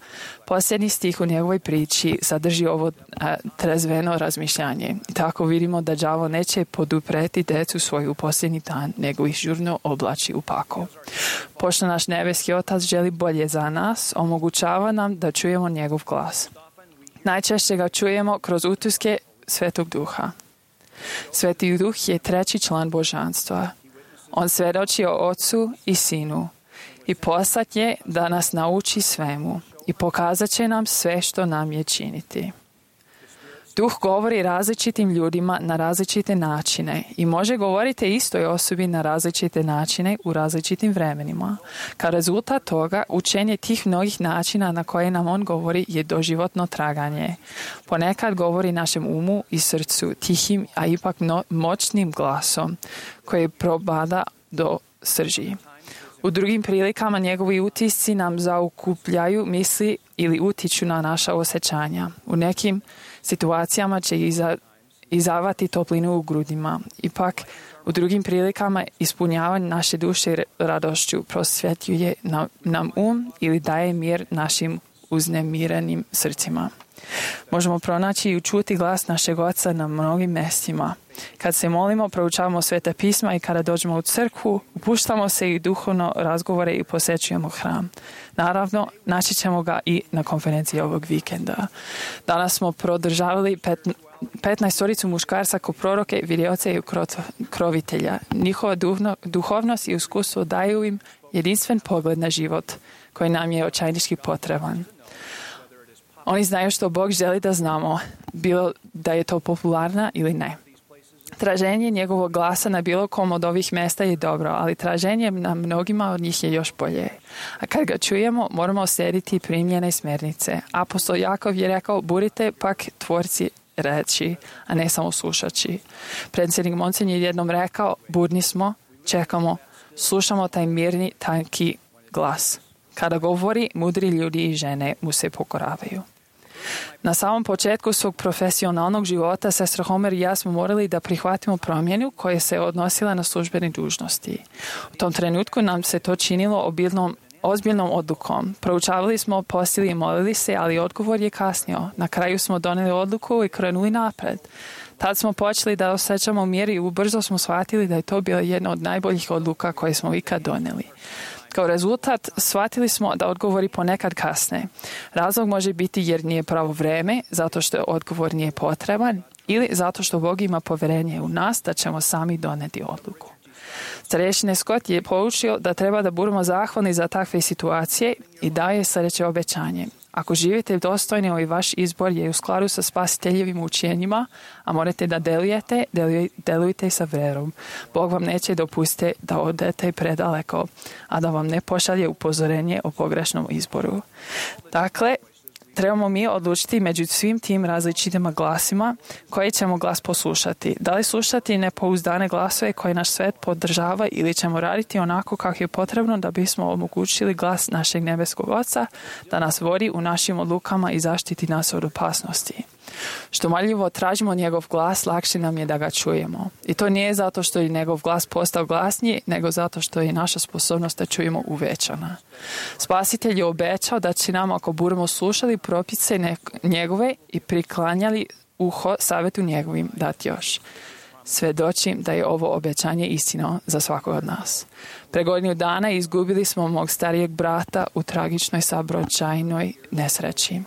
Posljednji stih u njegovoj priči sadrži ovo a, trezveno razmišljanje. I tako vidimo da đavo neće podupreti decu svoju u posljednji dan, nego ih žurno oblači u pakao. Pošto naš nebeski Otac želi bolje za nas, omogućava nam da čujemo njegov glas. Najčešće ga čujemo kroz utiske Svetog Duha. Sveti Duh je treći član božanstva. On svjedoči o Ocu i Sinu i poslat je da nas nauči svemu i pokazat će nam sve što nam je činiti. Duh govori različitim ljudima na različite načine i može govoriti istoj osobi na različite načine u različitim vremenima. Kao rezultat toga, učenje tih mnogih načina na koje nam on govori je doživotno traganje. Ponekad govori našem umu i srcu tihim, a ipak no, moćnim glasom koji probada do srži. U drugim prilikama njegovi utisci nam zaokupljaju misli ili utiču na naša osjećanja. U nekim situacijama će iza, izavati toplinu u grudima. Ipak, u drugim prilikama ispunjavanje naše duše radošću prosvjetljuje nam, nam um ili daje mir našim uznemirenim srcima. Možemo pronaći i učuti glas našeg Oca na mnogim mjestima. Kad se molimo, proučavamo sveta pisma i kada dođemo u crkvu, upuštamo se i duhovno razgovore i posjećujemo hram. Naravno, naći ćemo ga i na konferenciji ovog vikenda. Danas smo prodržavali pet, petnaestoricu muškarca ko proroke, vidioce i krovitelja. Njihova duhno, duhovnost i iskustvo daju im jedinstven pogled na život koji nam je očajnički potreban. Oni znaju što Bog želi da znamo, bilo da je to popularna ili ne. Traženje njegovog glasa na bilo kom od ovih mjesta je dobro, ali traženje na mnogima od njih je još bolje. A kad ga čujemo, moramo slijediti primljene smjernice. Apostol Jakov je rekao, budite pak tvorci reći, a ne samo slušači. Predsjednik Monsen je jednom rekao, budni smo, čekamo, slušamo taj mirni, tanki glas. Kada govori, mudri ljudi i žene mu se pokoravaju. Na samom početku svog profesionalnog života sestra Homer i ja smo morali da prihvatimo promjenu koja se odnosila na službene dužnosti. U tom trenutku nam se to činilo obilnom, ozbiljnom odlukom. Proučavali smo, postili i molili se, ali odgovor je kasnio. Na kraju smo doneli odluku i krenuli napred. Tad smo počeli da osjećamo mir i ubrzo smo shvatili da je to bila jedna od najboljih odluka koje smo ikad donijeli. Kao rezultat, shvatili smo da odgovori ponekad kasne. Razlog može biti jer nije pravo vreme, zato što odgovor nije potreban, ili zato što Bog ima povjerenje u nas da ćemo sami doneti odluku. Starješine Scott je poučio da treba da budemo zahvalni za takve situacije i daje sljedeće obećanje. Ako živite dostojni, ovaj vaš izbor je u skladu sa spasiteljevim učenjima, a morate da delujete, delujte sa verom. Bog vam neće dopustiti da odete predaleko, a da vam ne pošalje upozorenje o pogrešnom izboru. Dakle, trebamo mi odlučiti među svim tim različitim glasima koji ćemo glas poslušati. Da li slušati nepouzdane glasove koje naš svet podržava ili ćemo raditi onako kako je potrebno da bismo omogućili glas našeg nebeskog Oca da nas vodi u našim odlukama i zaštiti nas od opasnosti. Što marljivo tražimo njegov glas, lakše nam je da ga čujemo. I to nije zato što je njegov glas postao glasniji, nego zato što je naša sposobnost da čujemo uvećana. Spasitelj je obećao da će nam, ako budemo slušali propise njegove i priklanjali uho savjetu njegovim, dati još. Svedočim da je ovo obećanje istino za svakog od nas. Pre godinu dana izgubili smo mog starijeg brata u tragičnoj saobraćajnoj nesreći.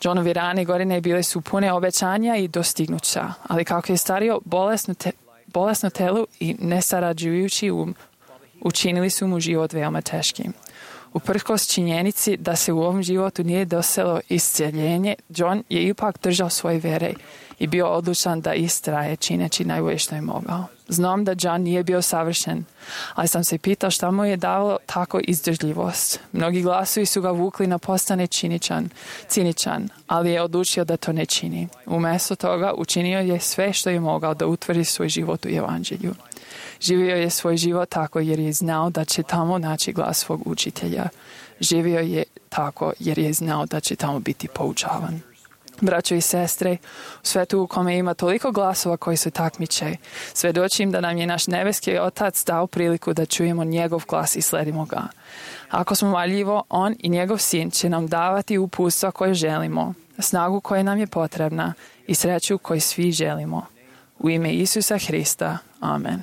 Johnovi rane godine bile su pune obećanja i dostignuća, ali kako je stario, bolesno, te, bolesno telu i nesarađujući um, učinili su mu život veoma teškim. Uprkos činjenici da se u ovom životu nije doselo isceljenje, John je ipak držao svoje vere i bio odlučan da istraje čineći najbolje što je mogao. Znam da John nije bio savršen, ali sam se pitao šta mu je davalo tako izdržljivost. Mnogi glasovi su ga vukli na postane činičan, ciničan, ali je odlučio da to ne čini. Umjesto toga učinio je sve što je mogao da utvrdi svoj život u evanđelju. Živio je svoj život tako jer je znao da će tamo naći glas svog učitelja. Živio je tako jer je znao da će tamo biti poučavan. Braćo i sestre, u svetu u kome ima toliko glasova koji se takmiče, svedočim da nam je naš nebeski Otac dao priliku da čujemo njegov glas i sledimo ga. Ako smo marljivo, on i njegov sin će nam davati uputstva koje želimo, snagu koja nam je potrebna i sreću koju svi želimo. U ime Isusa Hrista. Amen.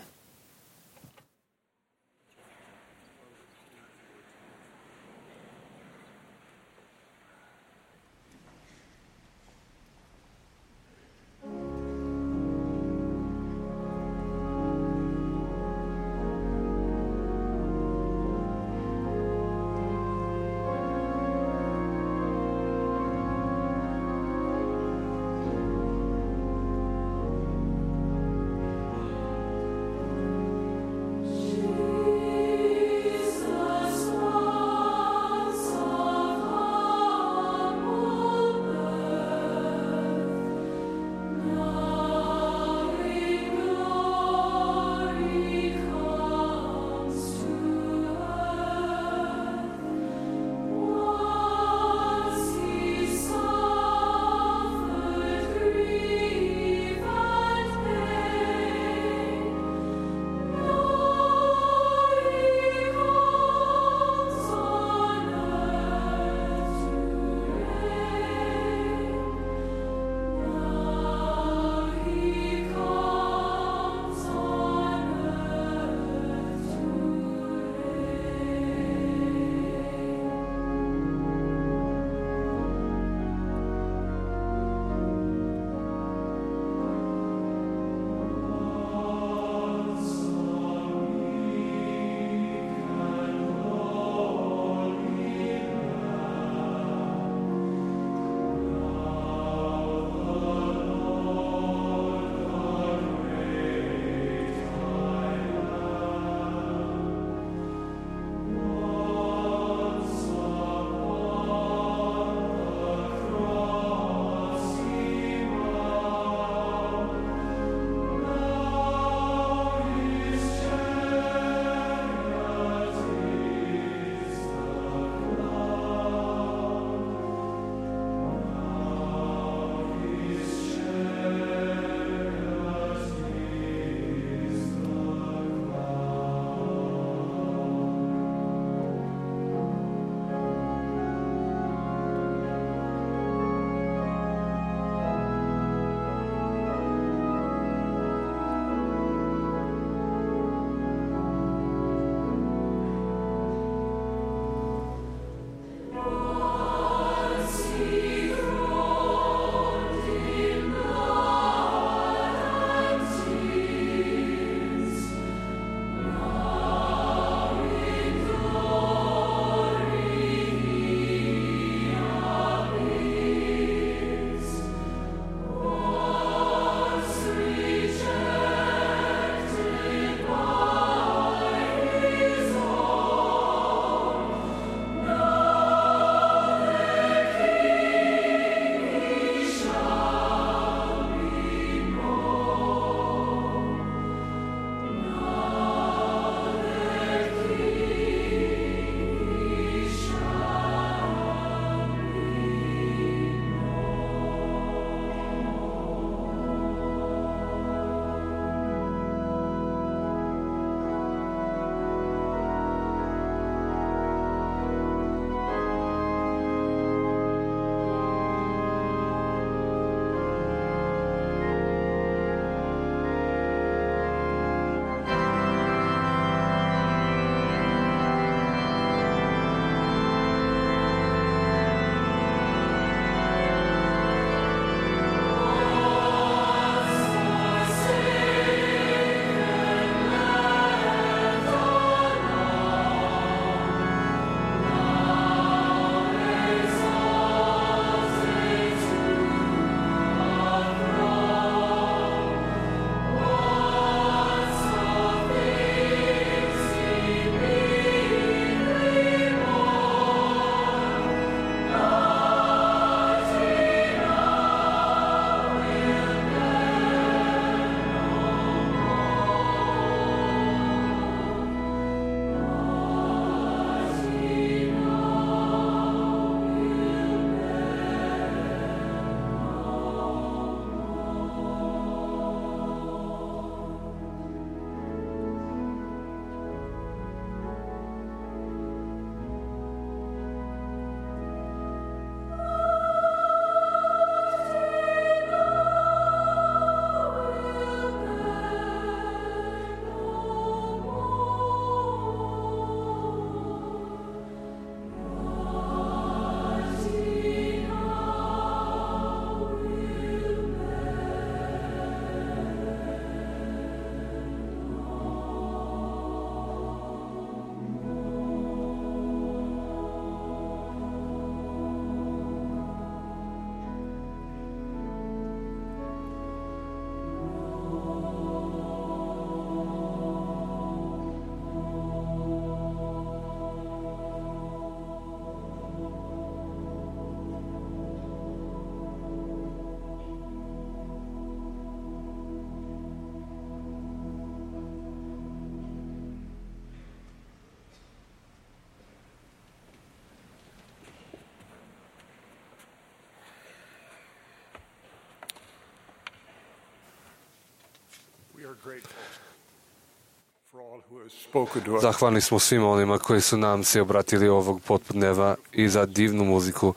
Zahvalni smo svima onima koji su nam se obratili ovog popodneva i za divnu muziku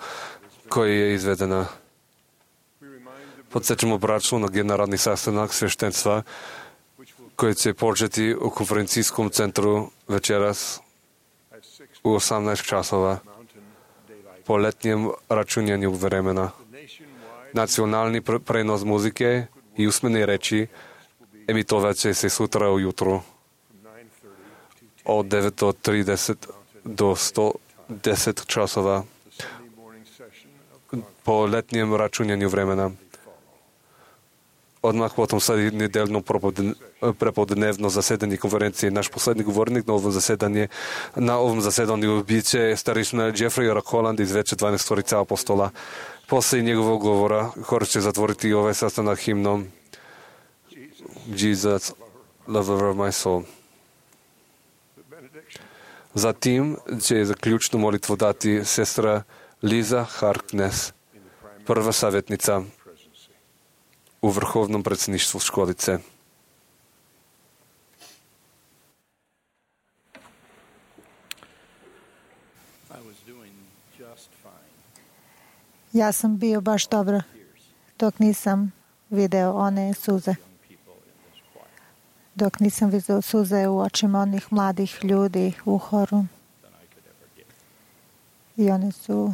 koja je izvedena. Podsjećamo braću na generalni sastanak sveštenstva koji će početi u konferencijskom centru večeras u osamnaest časova po letnjem računjanju vremena. Nacionalni prenos muzike i usmene reči emitovat će se sutra ujutru od devet trideset do sto deset časova po letnjem računjanju vremena. Odmah potom sledi nedeljno prepodnevno zasedanje konferencije. Naš poslednji govornik na ovom zasedanju, na ovom zasedanju biće starešina Jeffrey Rockholland iz Veće dvanaestorice apostola. Posle njegovog govora hor će zatvoriti ovaj sastanak himnom Jesus, lover of my soul. Zatim će zaključnu molitvu dati sestra Liza Harkness, prva savjetnica u vrhovnom predsjedništvu školice. Ja sam bio baš dobro dok nisam video one suze. Dok nisam vidio suze u očima onih mladih ljudi u horu. I oni su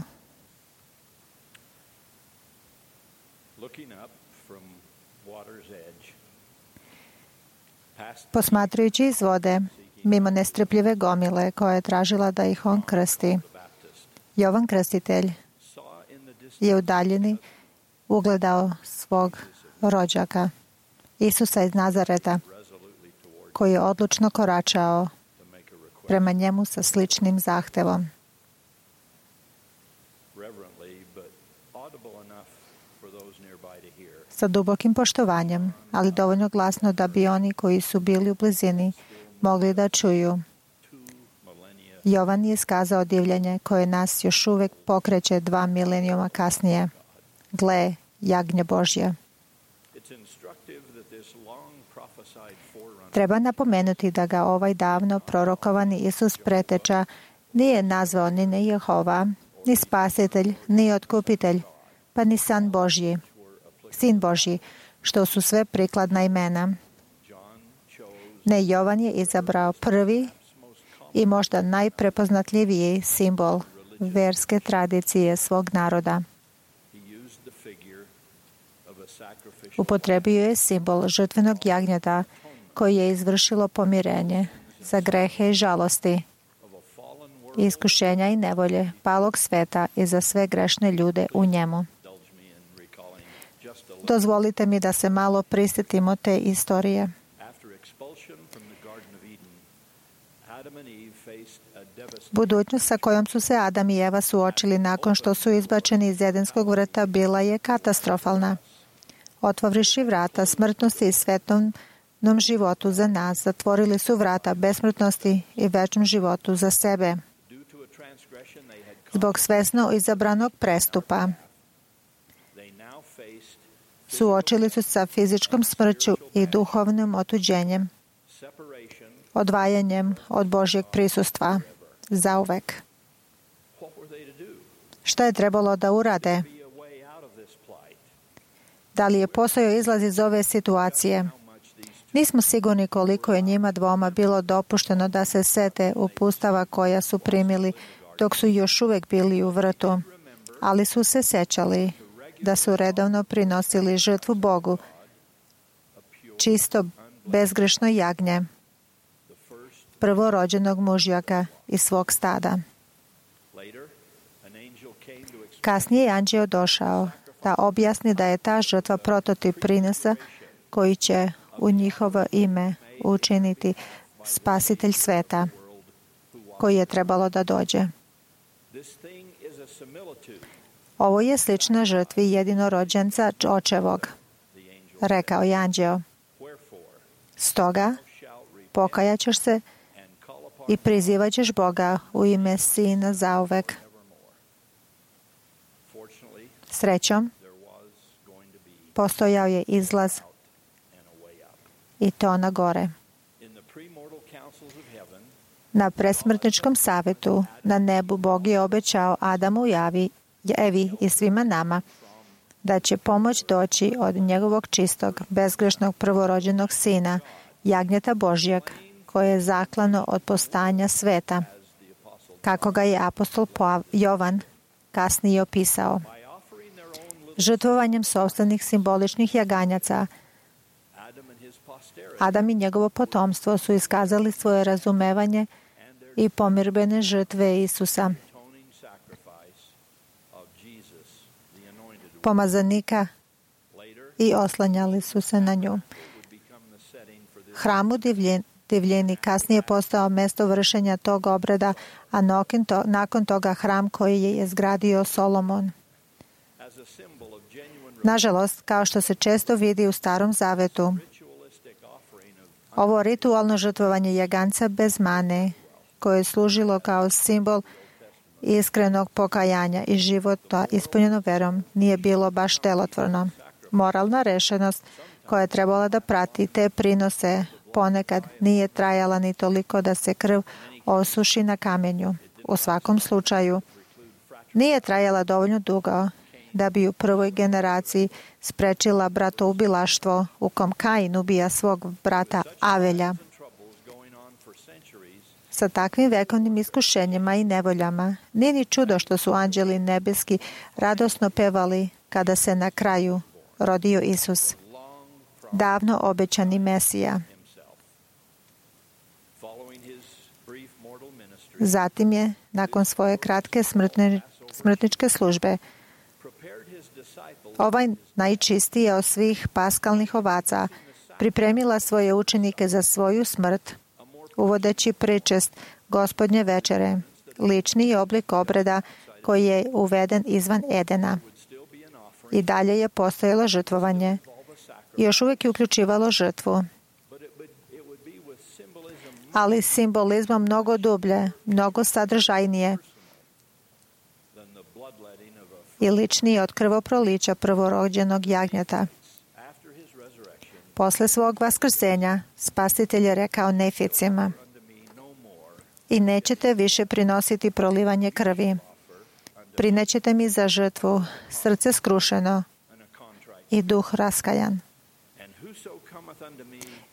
posmatrajući iz vode, mimo nestrpljive gomile koja je tražila da ih on krsti. Jovan Krstitelj je u daljini ugledao svog rođaka, Isusa iz Nazareta, koji je odlučno koračao prema njemu sa sličnim zahtevom. Sa dubokim poštovanjem, ali dovoljno glasno da bi oni koji su bili u blizini mogli da čuju. Jovan je iskazao divljenje koje nas još uvek pokreće dva milenijuma kasnije. Gle, jagnje Božje. Treba napomenuti da ga ovaj davno prorokovani Isus preteča nije nazvao ni ne Jehova, ni spasitelj, ni otkupitelj, pa ni san Božji, sin Božji, što su sve prikladna imena. Ne, Jovan je izabrao prvi i možda najprepoznatljiviji simbol verske tradicije svog naroda. Upotrebio je simbol žrtvenog jagnjeta koji je izvršilo pomirenje za grehe i žalosti, iskušenja i nevolje palog sveta i za sve grešne ljude u njemu. Dozvolite mi da se malo prisjetimo te istorije. Budućnost sa kojom su se Adam i Eva suočili nakon što su izbačeni iz Edenskog vrta bila je katastrofalna. Otvorivši vrata smrtnosti i svetovnom životu za nas, zatvorili su vrata besmrtnosti i večnom životu za sebe. Zbog svesno izabranog prestupa suočili su sa fizičkom smrću i duhovnim otuđenjem, odvajanjem od Božjeg prisustva zauvek. Šta je trebalo da urade? Da li je postojao izlaz iz ove situacije? Nismo sigurni koliko je njima dvoma bilo dopušteno da se sete upustava koja su primili dok su još uvek bili u vrtu, ali su se sećali da su redovno prinosili žrtvu Bogu, čisto bezgrešno jagnje, prvorođenog mužjaka iz svog stada. Kasnije je anđeo došao da objasni da je ta žrtva prototip prinosa koji će u njihovo ime učiniti spasitelj sveta koji je trebalo da dođe. Ovo je slična žrtvi jedinorođenca očevog, rekao je anđeo. Stoga pokajat ćeš se i prizivat ćeš Boga u ime Sina zauvek. Srećom, postojao je izlaz i to na gore. Na presmrtničkom savjetu na nebu Bog je obećao Adamu i Avi, Evi i svima nama da će pomoć doći od njegovog čistog, bezgrešnog prvorođenog sina, jagnjeta Božjeg, koje je zaklano od postanja sveta, kako ga je apostol Jovan kasnije opisao. Žrtvovanjem sopstvenih simboličnih jaganjaca, Adam i njegovo potomstvo su iskazali svoje razumevanje i pomirbene žrtve Isusa, pomazanika, i oslanjali su se na nju. Hram u divljini kasnije postao mesto vršenja tog obreda, a nakon toga hram koji je izgradio Solomon. Nažalost, kao što se često vidi u Starom Zavetu, ovo ritualno žrtvovanje jaganca bez mane, koje je služilo kao simbol iskrenog pokajanja i života ispunjeno verom, nije bilo baš delotvorno. Moralna rešenost koja je trebala da prati te prinose ponekad nije trajala ni toliko da se krv osuši na kamenju. U svakom slučaju, nije trajala dovoljno dugo da bi u prvoj generaciji sprečila bratoubilaštvo u kom Kain ubija svog brata Avelja. Sa takvim vekovnim iskušenjima i nevoljama nije ni čudo što su anđeli nebeski radosno pevali kada se na kraju rodio Isus, davno obećani Mesija. Zatim je, nakon svoje kratke smrtne, smrtničke službe, ovaj najčistiji od svih paskalnih ovaca pripremila svoje učenike za svoju smrt, uvodeći pričest Gospodnje večere, lični oblik obreda koji je uveden izvan Edena. I dalje je postojalo žrtvovanje. Još uvijek je uključivalo žrtvu, ali simbolizmom mnogo dublje, mnogo sadržajnije i ličnije od krvoprolića prvorođenog jagnjeta. Posle svog vaskrsenja, Spasitelj je rekao neficima: i nećete više prinositi prolivanje krvi. Prinećete mi za žrtvu srce skrušeno i duh raskajan.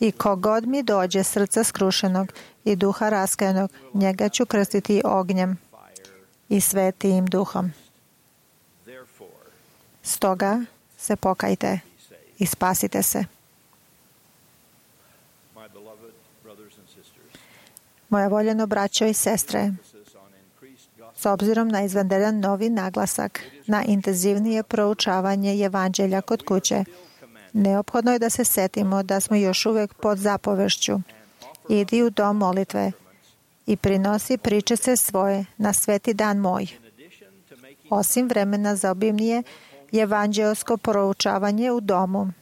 I kogod mi dođe srca skrušenog i duha raskajanog, njega ću krstiti ognjem i svetim duhom. Stoga se pokajte i spasite se. Moja voljeno braćo i sestre, s obzirom na izvanredan novi naglasak na intenzivnije proučavanje evanđelja kod kuće, neophodno je da se setimo da smo još uvijek pod zapovešću. Idi u dom molitve i prinosi pričese svoje na sveti dan moj. Osim vremena za obimnije evanđelsko proučavanje u domu,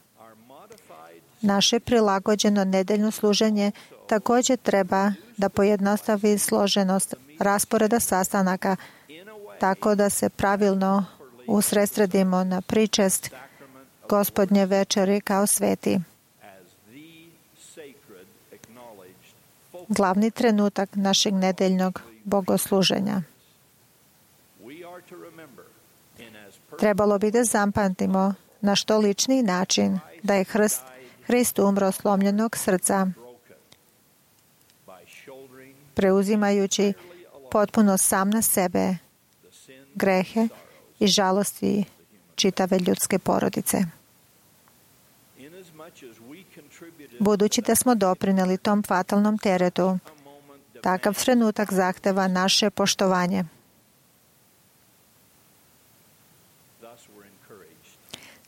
naše prilagođeno nedeljno služenje također treba da pojednostavi složenost rasporeda sastanaka tako da se pravilno usredsredimo na pričest Gospodnje večeri kao sveti. Glavni trenutak našeg nedeljnog bogosluženja. Trebalo bi da zapamtimo na što lični način da je Hrist, Hrist umro slomljenog srca, preuzimajući potpuno sam na sebe grehe i žalosti čitave ljudske porodice. Budući da smo doprineli tom fatalnom teretu, takav trenutak zahteva naše poštovanje.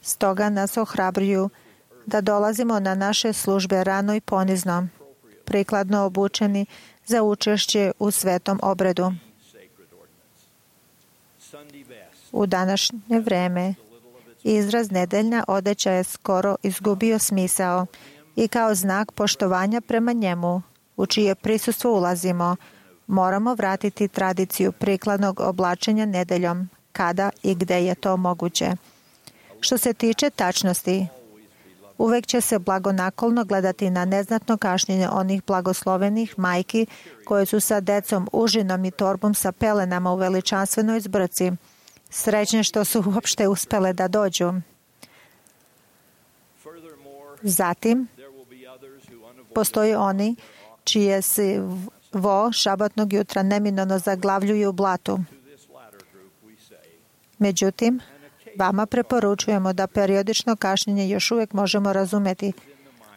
Stoga nas ohrabruju da dolazimo na naše službe rano i ponizno, prikladno obučeni za učešće u svetom obredu. U današnje vreme izraz nedeljna odeća je skoro izgubio smisao i kao znak poštovanja prema njemu, u čije prisustvo ulazimo, moramo vratiti tradiciju prikladnog oblačenja nedeljom, kada i gde je to moguće. Što se tiče tačnosti, uvek će se blagonaklonno gledati na neznatno kašnjenje onih blagoslovenih majki koje su sa decom, užinom i torbom sa pelenama u veličanstvenoj zbrci. Srećne što su uopšte uspele da dođu. Zatim, postoji oni čije se vo šabatnog jutra neminovno zaglavljuju u blatu. Međutim, vama preporučujemo da periodično kašnjenje još uvijek možemo razumeti,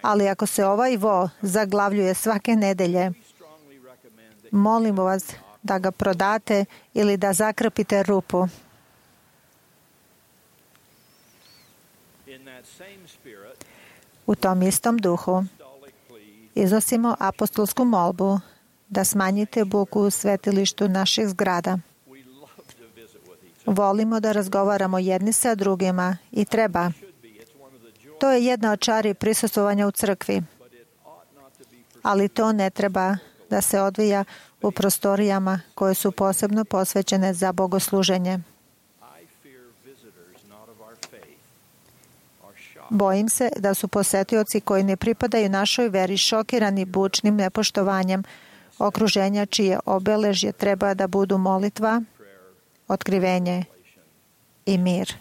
ali ako se ovaj vo zaglavljuje svake nedelje, molimo vas da ga prodate ili da zakrpite rupu. U tom istom duhu iznosimo apostolsku molbu da smanjite buku u svetilištu naših zgrada. Volimo da razgovaramo jedni sa drugima i treba. To je jedna od čari prisustvovanja u crkvi. Ali to ne treba da se odvija u prostorijama koje su posebno posvećene za bogosluženje. Bojim se da su posetioci koji ne pripadaju našoj veri šokirani bučnim nepoštovanjem okruženja čije obeležje treba da budu molitva, otkrivenje i mir.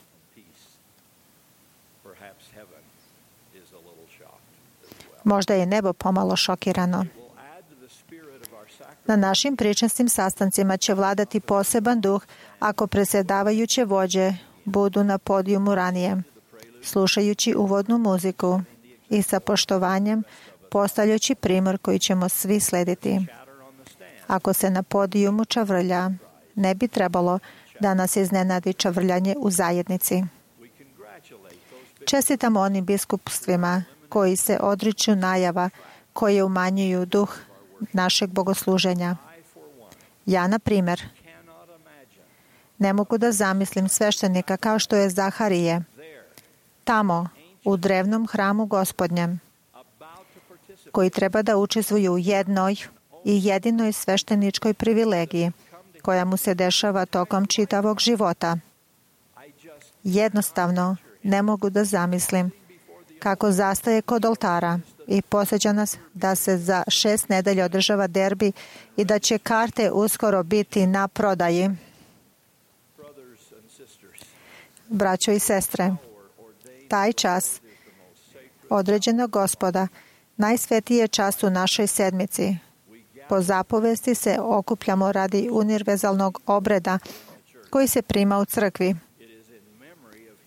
Možda je nebo pomalo šokirano. Na našim pričastim sastancima će vladati poseban duh ako predsjedavajuće vođe budu na podijumu ranije, slušajući uvodnu muziku i sa poštovanjem postavljajući primjer koji ćemo svi slediti. Ako se na podijumu čavrlja, ne bi trebalo da nas iznenadi čavrljanje u zajednici. Čestitamo onim biskupstvima koji se odriču najava koje umanjuju duh našeg bogosluženja. Ja, na primjer, ne mogu da zamislim sveštenika kao što je Zaharije, tamo, u drevnom hramu Gospodnjem, koji treba da učestvuje u jednoj i jedinoj svešteničkoj privilegiji koja mu se dešava tokom čitavog života. Jednostavno ne mogu da zamislim kako zastaje kod oltara i posjeća nas da se za šest nedelja održava derbi i da će karte uskoro biti na prodaji. Braćo i sestre, taj čas određenog Gospoda, najsvetiji je čas u našoj sedmici. Po zapovesti se okupljamo radi univerzalnog obreda koji se prima u crkvi.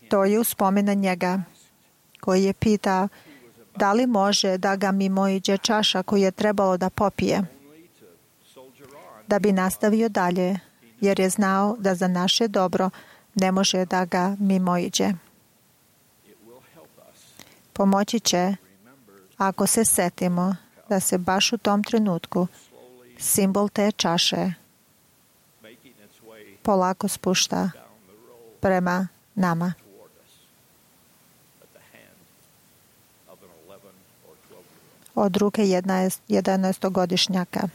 To je uspomen na njega, koji je pitao da li može da ga mimoiđe čaša koju je trebalo da popije, da bi nastavio dalje, jer je znao da za naše dobro ne može da ga mimoiđe. Pomoći će ako se setimo da se baš u tom trenutku simbol te čaše polako spušta prema nama. Od ruke jedanaestogodišnjaka.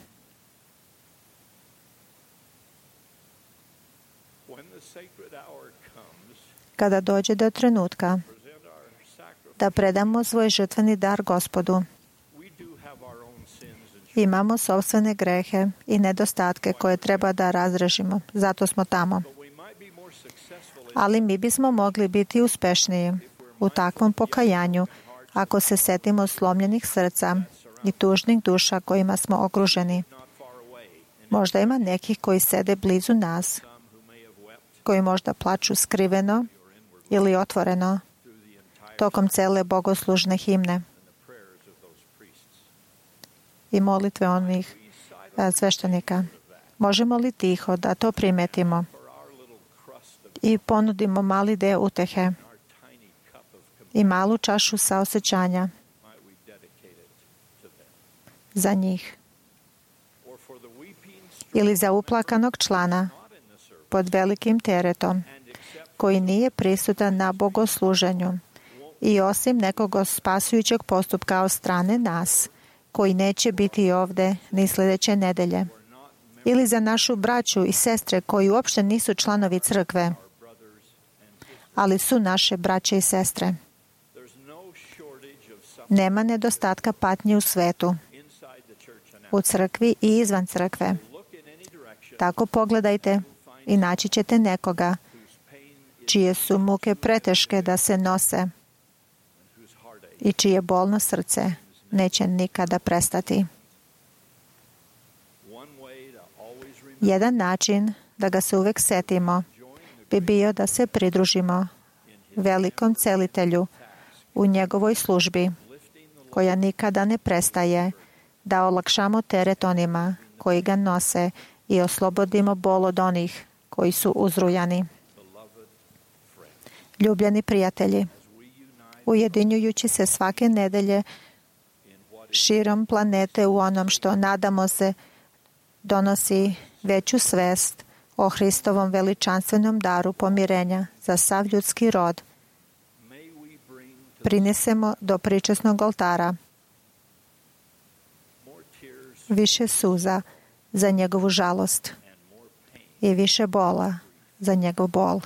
Kada dođe do trenutka da predamo svoj žrtveni dar Gospodu, imamo sopstvene grehe i nedostatke koje treba da razrešimo. Zato smo tamo. Ali mi bismo mogli biti uspešniji u takvom pokajanju ako se setimo slomljenih srca i tužnih duša kojima smo okruženi. Možda ima nekih koji sede blizu nas, koji možda plaču skriveno ili otvoreno tokom cele bogoslužne himne i molitve onih sveštenika. Možemo li tiho da to primetimo i ponudimo mali deo utehe i malu čašu saosećanja za njih ili za uplakanog člana pod velikim teretom koji nije prisutan na bogosluženju i osim nekog spasujućeg postupka od strane nas koji neće biti ovde ni sljedeće nedelje, ili za našu braću i sestre koji uopšte nisu članovi crkve, ali su naše braće i sestre. Nema nedostatka patnje u svetu, u crkvi i izvan crkve. Tako pogledajte i naći ćete nekoga čije su muke preteške da se nose i čije bolno srce neće nikada prestati. Jedan način da ga se uvek setimo bi bio da se pridružimo velikom celitelju u njegovoj službi, koja nikada ne prestaje, da olakšamo teret onima koji ga nose i oslobodimo bol od onih koji su uzrujani. Ljubljeni prijatelji, ujedinjujući se svake nedelje širom planete u onom što, nadamo se, donosi veću svest o Hristovom veličanstvenom daru pomirenja za sav ljudski rod, prinesemo do pričesnog oltara više suza za njegovu žalost i više bola za njegov bol.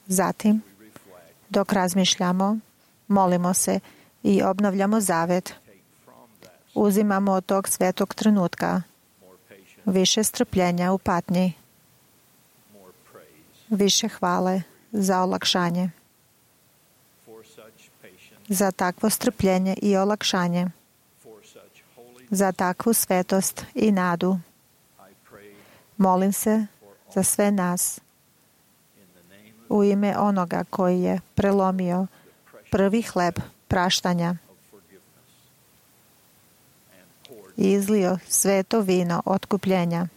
Zatim, dok razmišljamo, molimo se i obnavljamo zavet, uzimamo od tog svetog trenutka više strpljenja u patnji, više hvale za olakšanje. Za takvo strpljenje i olakšanje, za takvu svetost i nadu. Molim se za sve nas u ime onoga koji je prelomio prvi hleb praštanja i izlio sveto vino otkupljenja,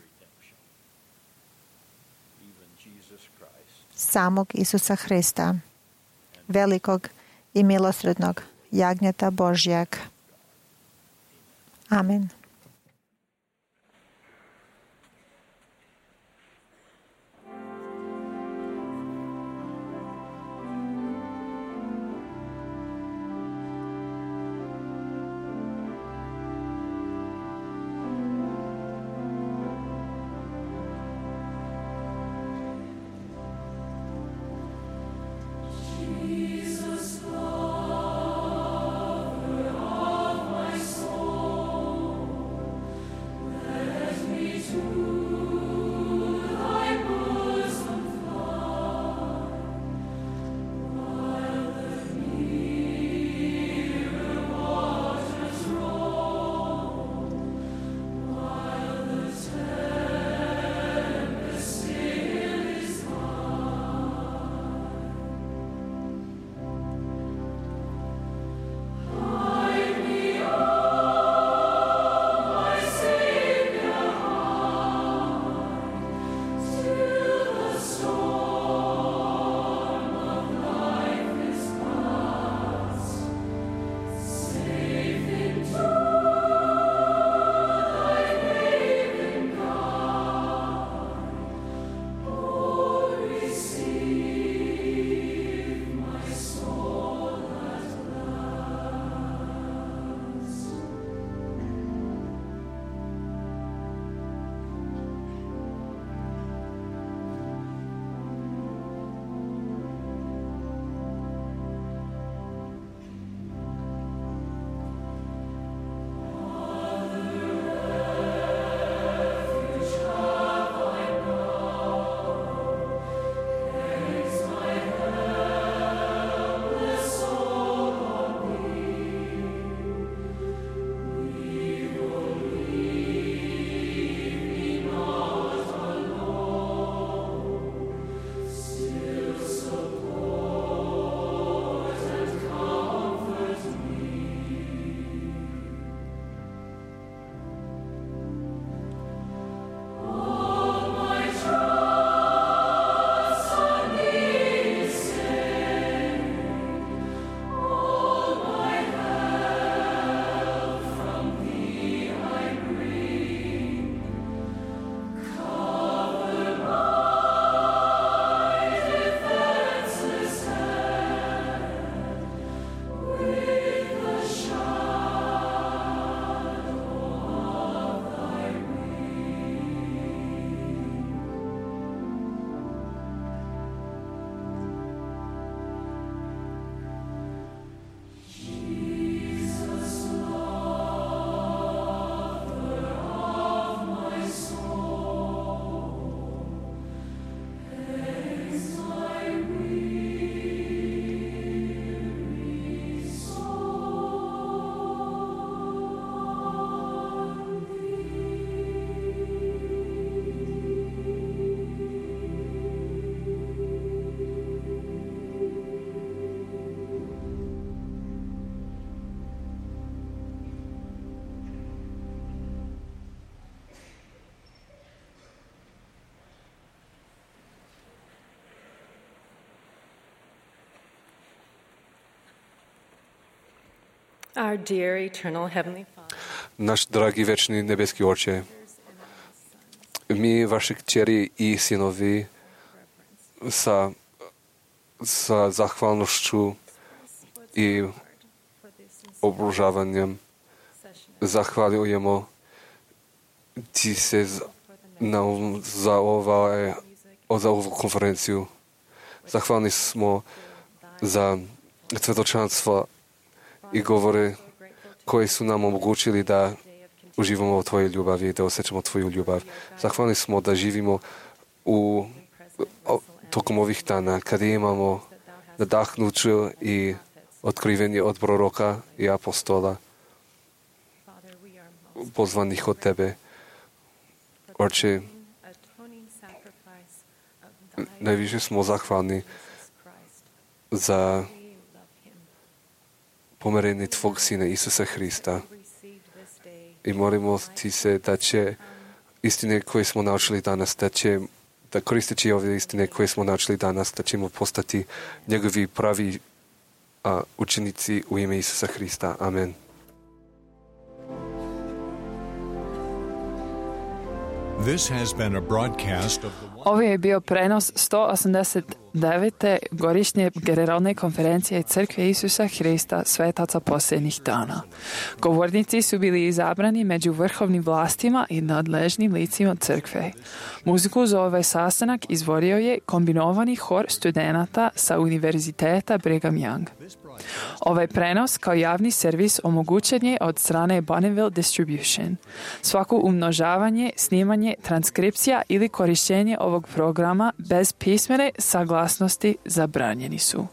samog Isusa Hrista, velikog i milosrdnog jagnjeta Božjeg. Amen. Jesus, lover of my soul. Our dear eternal heavenly Father. Наш драги вечни небески Отче, ми, ваши кćeri и синови, sa, sa zahvalnošću i obružavanjem zahvaljujemo ti se na, za, ovaj, za ovu konferenciju. Zahvalni smo za svjedočanstva i govore koji su nam omogućili da uživamo u tvojoj ljubavi, da osjećamo tvoju ljubav. Zahvalni smo da živimo u, tokom ovih dana kada imamo nadahnuću i otkrivenje od proroka i apostola pozvanih od tebe. Oče, najviše smo zahvalni za pomerenje tvog Sina Isusa Hrista i molimo ti se da će istine koje smo naučili danas, da će da koristeći ove istine koje smo naučili danas, da ćemo postati njegovi pravi a, učenici u ime Isusa Hrista. Amen. This has been a broadcast of the Ovo je bio prenos sto osamdeset devete godišnje generalne konferencije Crkve Isusa Hrista svetaca posljednjih dana. Govornici su bili izabrani među vrhovnim vlastima i nadležnim licima crkve. Muziku za ovaj sastanak izvodio je kombinovani hor studenata sa Univerziteta Brigham Young. Ovaj prenos kao javni servis omogućen je od strane Bonneville Distribution. Svako umnožavanje, snimanje, transkripcija ili korištenje ovog programa bez pismene saglasnosti zabranjeni su.